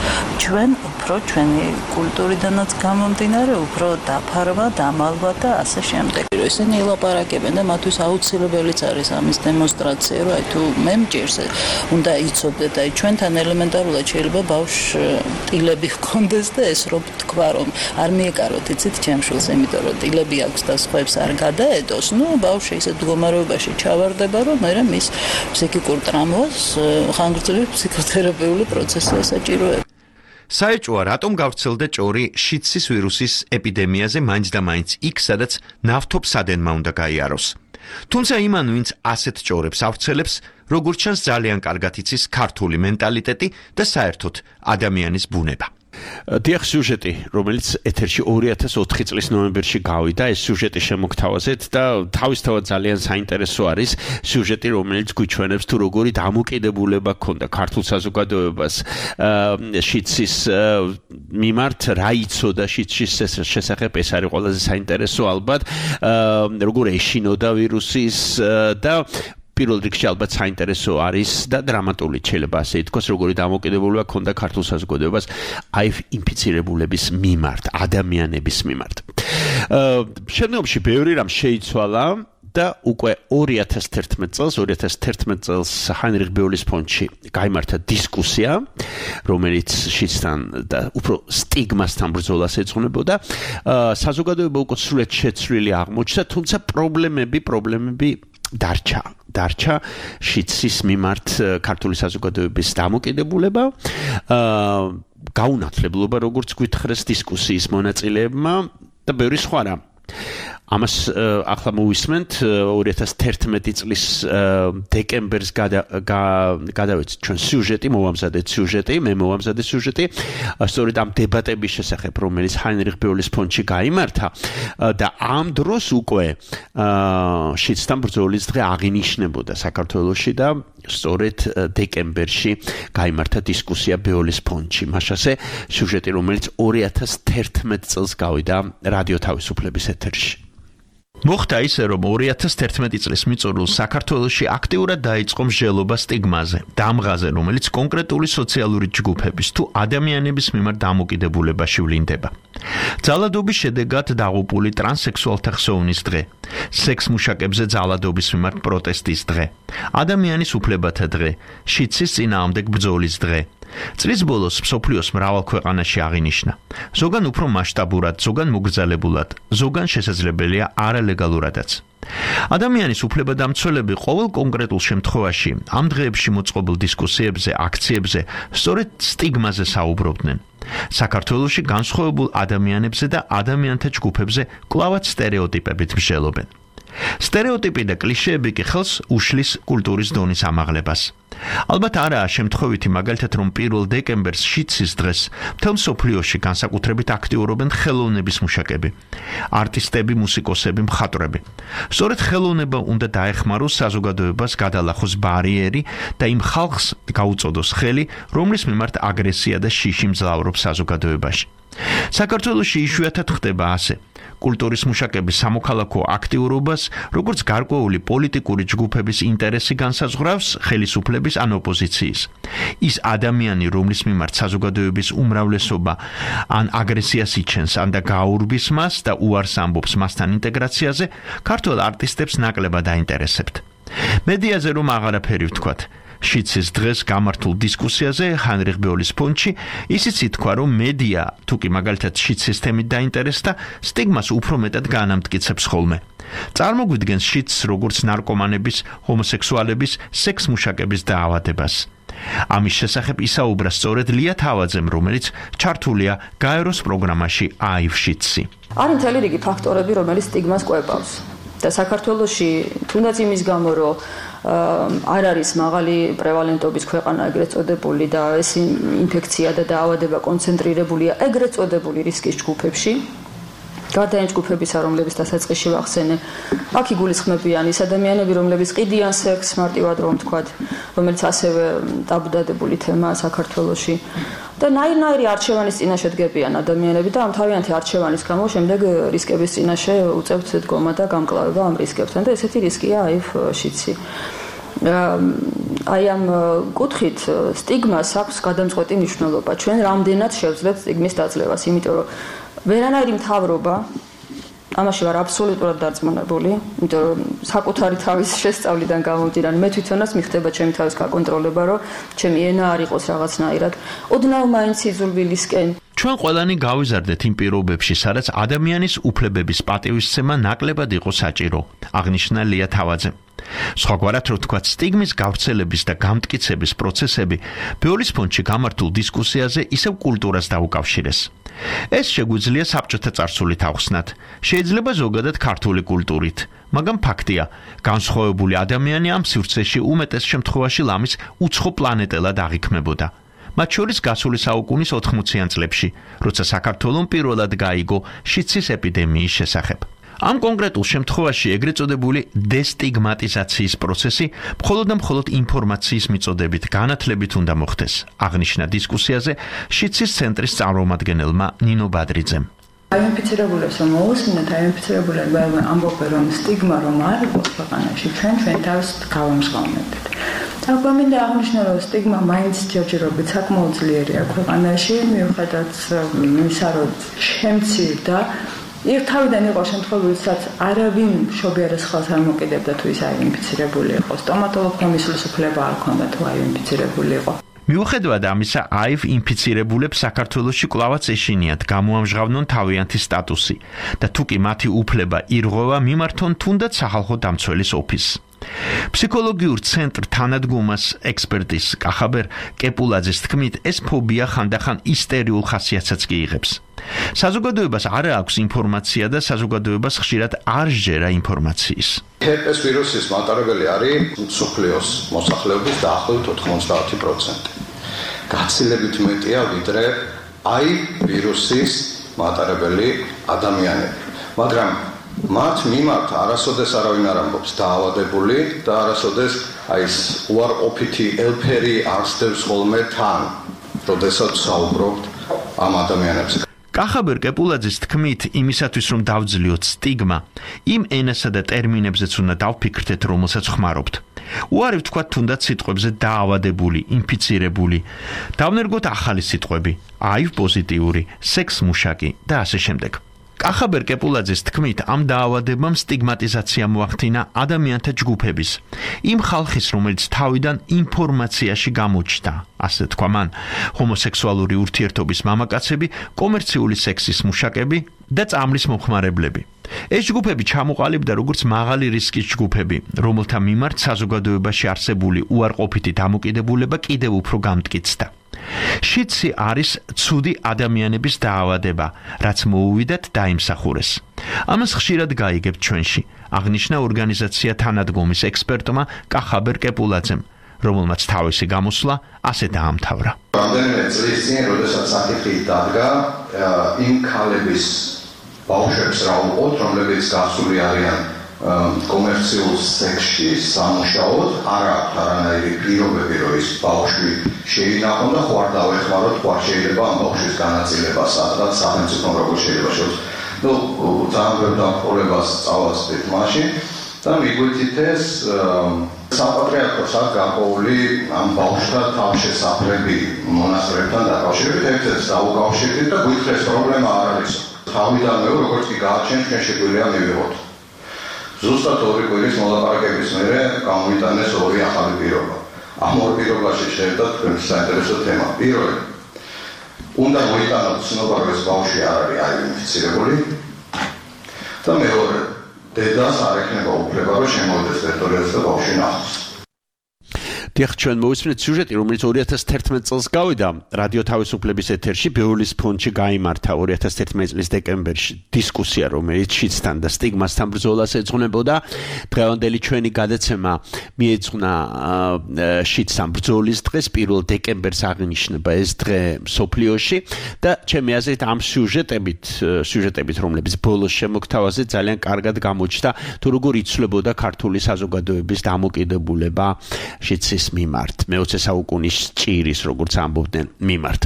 ჩვენ უფრო ჩვენი კულტურიდანაც გამომდინარე, უფრო დაფარვა, დამალვა და ასე შემდეგ. ისინი ლაპარაკებენ და მათთვის აუცილებელიც არის ამის დემონსტრაცია, რომ აი თუ მე მჭირს, უნდა იცოდეთ, აი ჩვენთან ელემენტარულად შეიძლება ბავშვს ტილები ჰქონდეს და ეს რომ თქვა, რომ არ მიეკაროთ, იცით, ჩემშვილს, იმიტომ რომ ტილები აქვს და სხვებს არ გადაედოს, ნუ ბავშვი ისეთ მდგომარეობაში ჩავარდება, რომ მერე მის ფსიქიკურ ტრამვას ხანგრძლივი ფსიქოთერაპიული პროცესი ესაჭიროება. საეჭვოა, რატომ გავრცელდა ჭორი შიცის ვირუსის ეპიდემიაზე მაინც და მაინც იქ, სადაც ნავთობსადენმა უნდა გაიაროს. თუმცა იმან, ვინც ასეთ ჭორებს ავრცელებს, როგორც ჩანს ძალიან კარგად იცის ქართული მენტალიტეტი და საერთოდ ადამიანის ბუნება. დიახ, სიუჟეტი, რომელიც ეთერში 2004 წლის ნოემბერში გავიდა, ეს სიუჟეტი შემოგთავაზეთ და თავისთავად ძალიან საინტერესო არის სიუჟეტი, რომელიც გვიჩვენებს თუ როგორი დამოკიდებულება ჰქონდა ქართულ საზოგადოებას შიცის მიმართ, რა იცოდა შიცის შესახებ, ეს არის ყველაზე საინტერესო ალბათ, როგორ ეშინოდა ვირუსის და პირველ რიგში ალბათ საინტერესო არის და დრამატული შეიძლება ასე ითქვას, როგორი დამოკიდებულება ჰქონდა ქართულ საზოგადოებას HIV ინფიცირებულების მიმართ, ადამიანების მიმართ. შემდგომში ბევრი რამ შეიცვალა და უკვე 2011 წელს ჰაინრიხ ბეულის ფონდში გაიმართა დისკუსია, რომელიც შიცთან და უფრო სტიგმასთან ბრძოლას ეძღვნებოდა. საზოგადოება უკვე სრულად შეცვლილი აღმოჩნდა, თუმცა პრობლემები დარჩა შიცის მიმართ ქართული საზოგადოების დამოკიდებულება, გაუნათლებლობა, როგორც გვითხრეს დისკუსიის მონაწილეებმა და ბევრი სხვა რამ. ამას ახლა მოვისმენთ 2011 წლის დეკემბერს გადავეცით ჩვენ სიუჟეტი, მე მოვამზადე სიუჟეტი, სწორედ ამ დებატების შესახებ, რომელიც ჰაინრიხ ბეულის ფონდში გაიმართა და ამ დროს უკვე შიცთან ბრძოლის დღე აღინიშნებოდა საქართველოში და სწორედ დეკემბერში გაიმართა დისკუსია ბეულის ფონდში. მაშასე სიუჟეტი, რომელიც 2011 წელს გავიდა რადიო თავისუფლების ეთერში. მოხდა ისე, რომ 2011 წლის მიწურულს საქართველოში აქტიურად დაიწყო მსჯელობა სტიგმაზე, დამღაზე, რომელიც კონკრეტული სოციალური ჯგუფების თუ ადამიანების მიმართ დამოკიდებულებაში ვლინდება. ძალადობის შედეგად დაღუპული ტრანსექსუალთა ხსოვნის დღე, სექსმუშაკებზე ძალადობის მიმართ პროტესტის დღე, ადამიანის უფლებათა დღე, შიცის წინააღმდეგ ბრძოლის დღე. წლის ბოლოს მსოფლიოს მრავალ ქვეყანაში აღინიშნა. ზოგან უფრო მასშტაბურად, ზოგან მოგრძალებულად, ზოგან შესაძლებელია არალეგალურადაც. ადამიანის უფლებადამცველები ყოველ კონკრეტულ შემთხვევაში ამ დღეებში მოწყობილ დისკუსიებზე, აქციებზე სწორედ სტიგმაზე საუბრობდნენ. საქართველოში განსხვავებულ ადამიანებზე და ადამიანთა ჯგუფებზე კვლავაც სტერეოტიპებით მსჯელობენ. სტერეოტიპი და კლიშეები კი ხელს უშლის კულტურის დონის ამაღლებას. ალბათ არაა შემთხვევითი მაგალითად, რომ 1 დეკემბერს შიცის დღეს მთელ მსოფლიოში განსაკუთრებით აქტიურობენ ხელოვნების მუშაკები, არტისტები, მუსიკოსები, მხატვრები. სწორედ ხელოვნება უნდა დაეხმაროს საზოგადოებას გადალახოს ბარიერი და იმ ხალხს გაუწოდოს ხელი, რომლის მიმართ აგრესია და შიში მძლავრობს საზოგადოებაში. საქართველოში იშვიათად ხდება ასე. კულტურის მუშაკების სამოქალაქო აქტიურობას, როგორც გარკვეული პოლიტიკური ჯგუფების ინტერესი განსაზღვრავს ხელისუფლების ან ოპოზიციის. ის ადამიანი, რომლის მიმართ საზოგადოების უმრავლესობა ან აგრესიას იჩენს, ან და გაურბის მას და უარს ამბობს მასთან ინტეგრაციაზე, ქართველ არტისტებს ნაკლებად აინტერესებთ. მედიაზე რომ აღარაფერი ვთქვათ, შიცის დღეს გამართულ დისკუსიაზე ჰაინრიხ ბეულის ფონდში ისიც ითქვა, რომ მედია თუკი მაგალითად შიცის თემით დაინტერესდა, სტიგმას უფრო მეტად განამტკიცებს ხოლმე. წარმოგვიდგენს შიცს როგორც ნარკომანების, ჰომოსექსუალების, სექსმუშაკების დაავადებას. ამის შესახებ ისაუბრა სწორედ ლია თავაძემ, რომელიც ჩართულია გაეროს პროგრამაში HIV შიცი. არის მთელი რიგი ფაქტორები, რომელიც სტიგმას კვებავს. და საქართველოში თუნდაც იმის გამო რომ არ არის მაღალი პრევალენტობის ქვეყანა ეგრეთ წოდებული და ეს ინფექცია და დაავადება კონცენტრირებულია ეგრეთ წოდებული რისკის ჯგუფებში გარდა იმ ჯგუფებისა, რომლებიც დასაწყისში ვახსენე, აქ იგულისხმებიან ის ადამიანები, რომლებიც ყიდიან სექსს, მარტივად რომ ვთქვათ, რომელიც ასევე ტაბუდადებული თემაა საქართველოში. და ნაირ-ნაირი არჩევანის წინაშე დგებიან ადამიანები და ამ თავიანთი არჩევანის გამო შემდეგ რისკების წინაშე უწევთ დგომა და გამკლავება ამ რისკებთან და ესეთი რისკია აივ შიცი. აი ამ კუთხით სტიგმას აქვს გადამწყვეტი მნიშვნელობა. ჩვენ რამდენად შევძლებთ სტიგმის დაძლევას, იმიტომ რომ ვერანაირი მთავრობა ამაში ვარ აბსოლუტურად დარწმუნებული, იმიტომ რომ საკუთარი თავის შესწავლიდან გამომდინარე, მე თვითონაც მიხდება ჩემი თავის გაკონტროლება, რომ ჩემი ენა არ იყოს რაღაცნაირად. ოდნავ მაინც იზრვილისკენ. ჩვენ ყველანი გავიზარდეთ იმ პირობებში, სადაც ადამიანის უფლებების პატივისცემა ნაკლებად იყო საჭირო, აღნიშნა ლია თავაძემ. სხვაგვარად რო ვთქვათ, სტიგმის გავრცელების და გამტკიცების პროცესები ბიოლის ფონდში გამართულ დისკუსიაზე ისევ კულტურას დაუკავშირეს. ეს შეგვიძლია საბჭოთა წარსულით ავხსნათ, შეიძლება ზოგადად ქართული კულტურით, მაგრამ ფაქტია, განსხვავებული ადამიანი ამ სივრცეში უმეტეს შემთხვევაში ლამის უცხო პლანეტელად აღიქმებოდა. მათ შორის გასული საუკუნის 80-იან წლებში, როცა საქართველომ პირველად გაიგო შიცის ეპიდემიის შესახებ. ამ კონკრეტულ შემთხვევაში ეგრეთ წოდებული დესტიგმატიზაციის პროცესი მხოლოდ და მხოლოდ ინფორმაციის მიწოდებით განათლებით უნდა მოხდეს, აღნიშნა დისკუსიაზე შიცის ცენტრის წარმომადგენელმა ნინო ბადრიძემ. აინფიცირებულებს რომ მოусმინოთ, აინფიცირებულები ამბობენ რომ სტიგმა რომ არ იყოს ქვეყანაში, ჩვენ თავს გავამჟღავნებთ. აგვამინდა აღნიშნა რომ სტიგმა მაინც ჯერჯერობით საკმაოდ ძლიერია ქვეყანაში, მიუხედავად იმისა რომ შემცირ და თავიდან იყო შემთხვევები, სადაც არავინ მშობიარეს ხელს არ მოკიდებდა თუ ის აინფიცირებული იყო. სტომატოლოგმა მისვლის უფლება არ ჰქონდა თუ აინფიცირებული იყო. მიუხედავად ამისა, აივ ინფიცირებულებს საქართველოში კვლავაც ეშინიათ გამოამჟღავნონ თავიანთი სტატუსი და თუკი მათი უფლება ირღვევა, მიმართონ თუნდაც სახალხო დამცველის ოფისს. ფსიქოლოგიურ ცენტრ თანადგომას ექსპერტის კახაბერ კეპულაძის თქმით, ეს ფობია ხანდახან ისტერიულ ხასიათსაც კი იღებს. საზოგადოებას არ აქვს ინფორმაცია და საზოგადოებას ხშირად არ სჯერა ინფორმაციის. ჰერპეს ვირუსის მატარებელი არის მსოფლიოს მოსახლეობის დაახლოებით 90%. გაცილებით მეტია ვიდრე აი ვირუსის მატარებელი ადამიანები. მაგრამ მათ მიმართ არასოდეს არავინ არ ამბობს დაავადებული და არასოდეს აი ეს უარყოფითი ელფერი არსდევს ხოლმე თან, როდესაც საუბრობთ ამ ადამიანებზე. კახაბერ კეპულაძის თქმით, იმისათვის რომ დავძლიოთ სტიგმა, იმ ენასა და ტერმინებზეც უნდა დავფიქრდეთ, რომელსაც ხმარობთ. უარი ვთქვათ თუნდაც სიტყვებზე დაავადებული, ინფიცირებული. დავნერგოთ ახალი სიტყვები, აივ პოზიტიური, სექს მუშაკი და ასე შემდეგ. კახაბერ კეპულაძის თქმით, ამ დაავადებამ სტიგმატიზაცია მოახდინა ადამიანთა ჯგუფების, იმ ხალხის, რომელიც თავიდან ინფორმაციაში გამოჩნდა, ასე თქვა მან, ჰომოსექსუალური ურთიერთობის მამაკაცები, კომერციული სექსის მუშაკები და წამლის მომხმარებლები. ეს ჯგუფები ჩამოყალიბდა როგორც მაღალი რისკის ჯგუფები, რომელთა მიმართ საზოგადოებაში არსებული უარყოფითი დამოკიდებულება კიდევ უფრო გამტკიცდა. შიცი არის ცუდი ადამიანების დაავადება, რაც მოუვიდათ დაიმსახურეს. ამას ხშირად გაიგებთ ჩვენში, აღნიშნა ორგანიზაცია თანადგომის ექსპერტმა კახაბერ კეპულაძემ, რომელმაც თავისი გამოსვლა ასე დაამთავრა. რამდენიმე წლის წინ, როდესაც საკითხი დადგა, იმ ქალების ბავშვებს რა უყოთ, რომლებიც გასული არიან კომერციულ სექსში სამუშაოდ, არ აქვს არანაირი პირობები, რომ ის ბავშვი შეინახონ და ხო არ დავეხმაროთ, ხო არ შეიძლება ამ ბავშვის განაწილება სადღაც სახელმწიფომ როგორ შეიძლება შეუძლოს. ძალიან ბევრ დამხმარებლობას წავასწრით მაშინ და მიგვიწით ეს საპატრიარქოს აქ გაყოლი ამ ბავშვთა თავშესაფრები მონასტრებთან დაკავშირებით, ერთ-ერთს დაუკავშირდით და გვითხრეს პრობლემა არ არის. თავიდანვე როგორც კი გააჩენთ, ჩვენ შეგვიძლია მივიღოთ. ზუსტად 2 კვირის მოლაპარაკების მერე გამოვიტანეს 2 ახალი პირობა. ამ 2 პირობაში შეერთდა თქვენი საინტერესო თემა. პირველი, უნდა მოიტანოთ ცნობა, რომ ეს ბავშვი არ არის აინფიცირებული და მეორე, დედას არ ექნება უფლება, რომ შემოვიდეს ტერიტორიაზე და ბავშვი ნახოს. დიახ, ჩვენ მოვისმენთ სიუჟეტი, რომელიც 2011 წელს გავიდა რადიო თავისუფლების ეთერში, ბეულის ფონდში გაიმართა 2011 წლის დეკემბერში დისკუსია, რომელიც შიდსთან და სტიგმასთან ბრძოლას ეძღვნებოდა. დღევანდელი ჩვენი გადაცემა მიეძღვნა შიდსთან ბრძოლის დღეს, 1 დეკემბერს აღინიშნება ეს დღე მსოფლიოში და ჩემი აზრით ამ სიუჟეტებით, რომლებიც ბოლოს შემოგთავაზე ძალიან კარგად გამოჩნდა, თუ როგორ იცვლებოდა ქართული საზოგადოების დამოკიდებულება შიდსის მიმართ, მე-20 საუკუნის ჭირის, როგორც ამბობდნენ, მიმართ.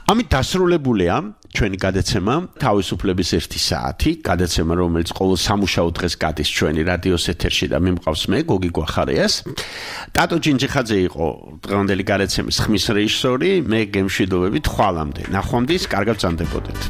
ამით დასრულებულია ჩვენი გადაცემა თავისუფლების 1 საათი, გადაცემა, რომელიც ყოველ სამუშაო დღეს გადის ჩვენი რადიოს ეთერში და მიმყავს მე, გოგი გვახარიას. ტატო ჯინჯიხაძე იყო დღევანდელი გადაცემის ხმის რეჟისორი, მე გემშვიდობებით ხვალამდე. ნახვამდის, კარგად ბრძანდებოდეთ.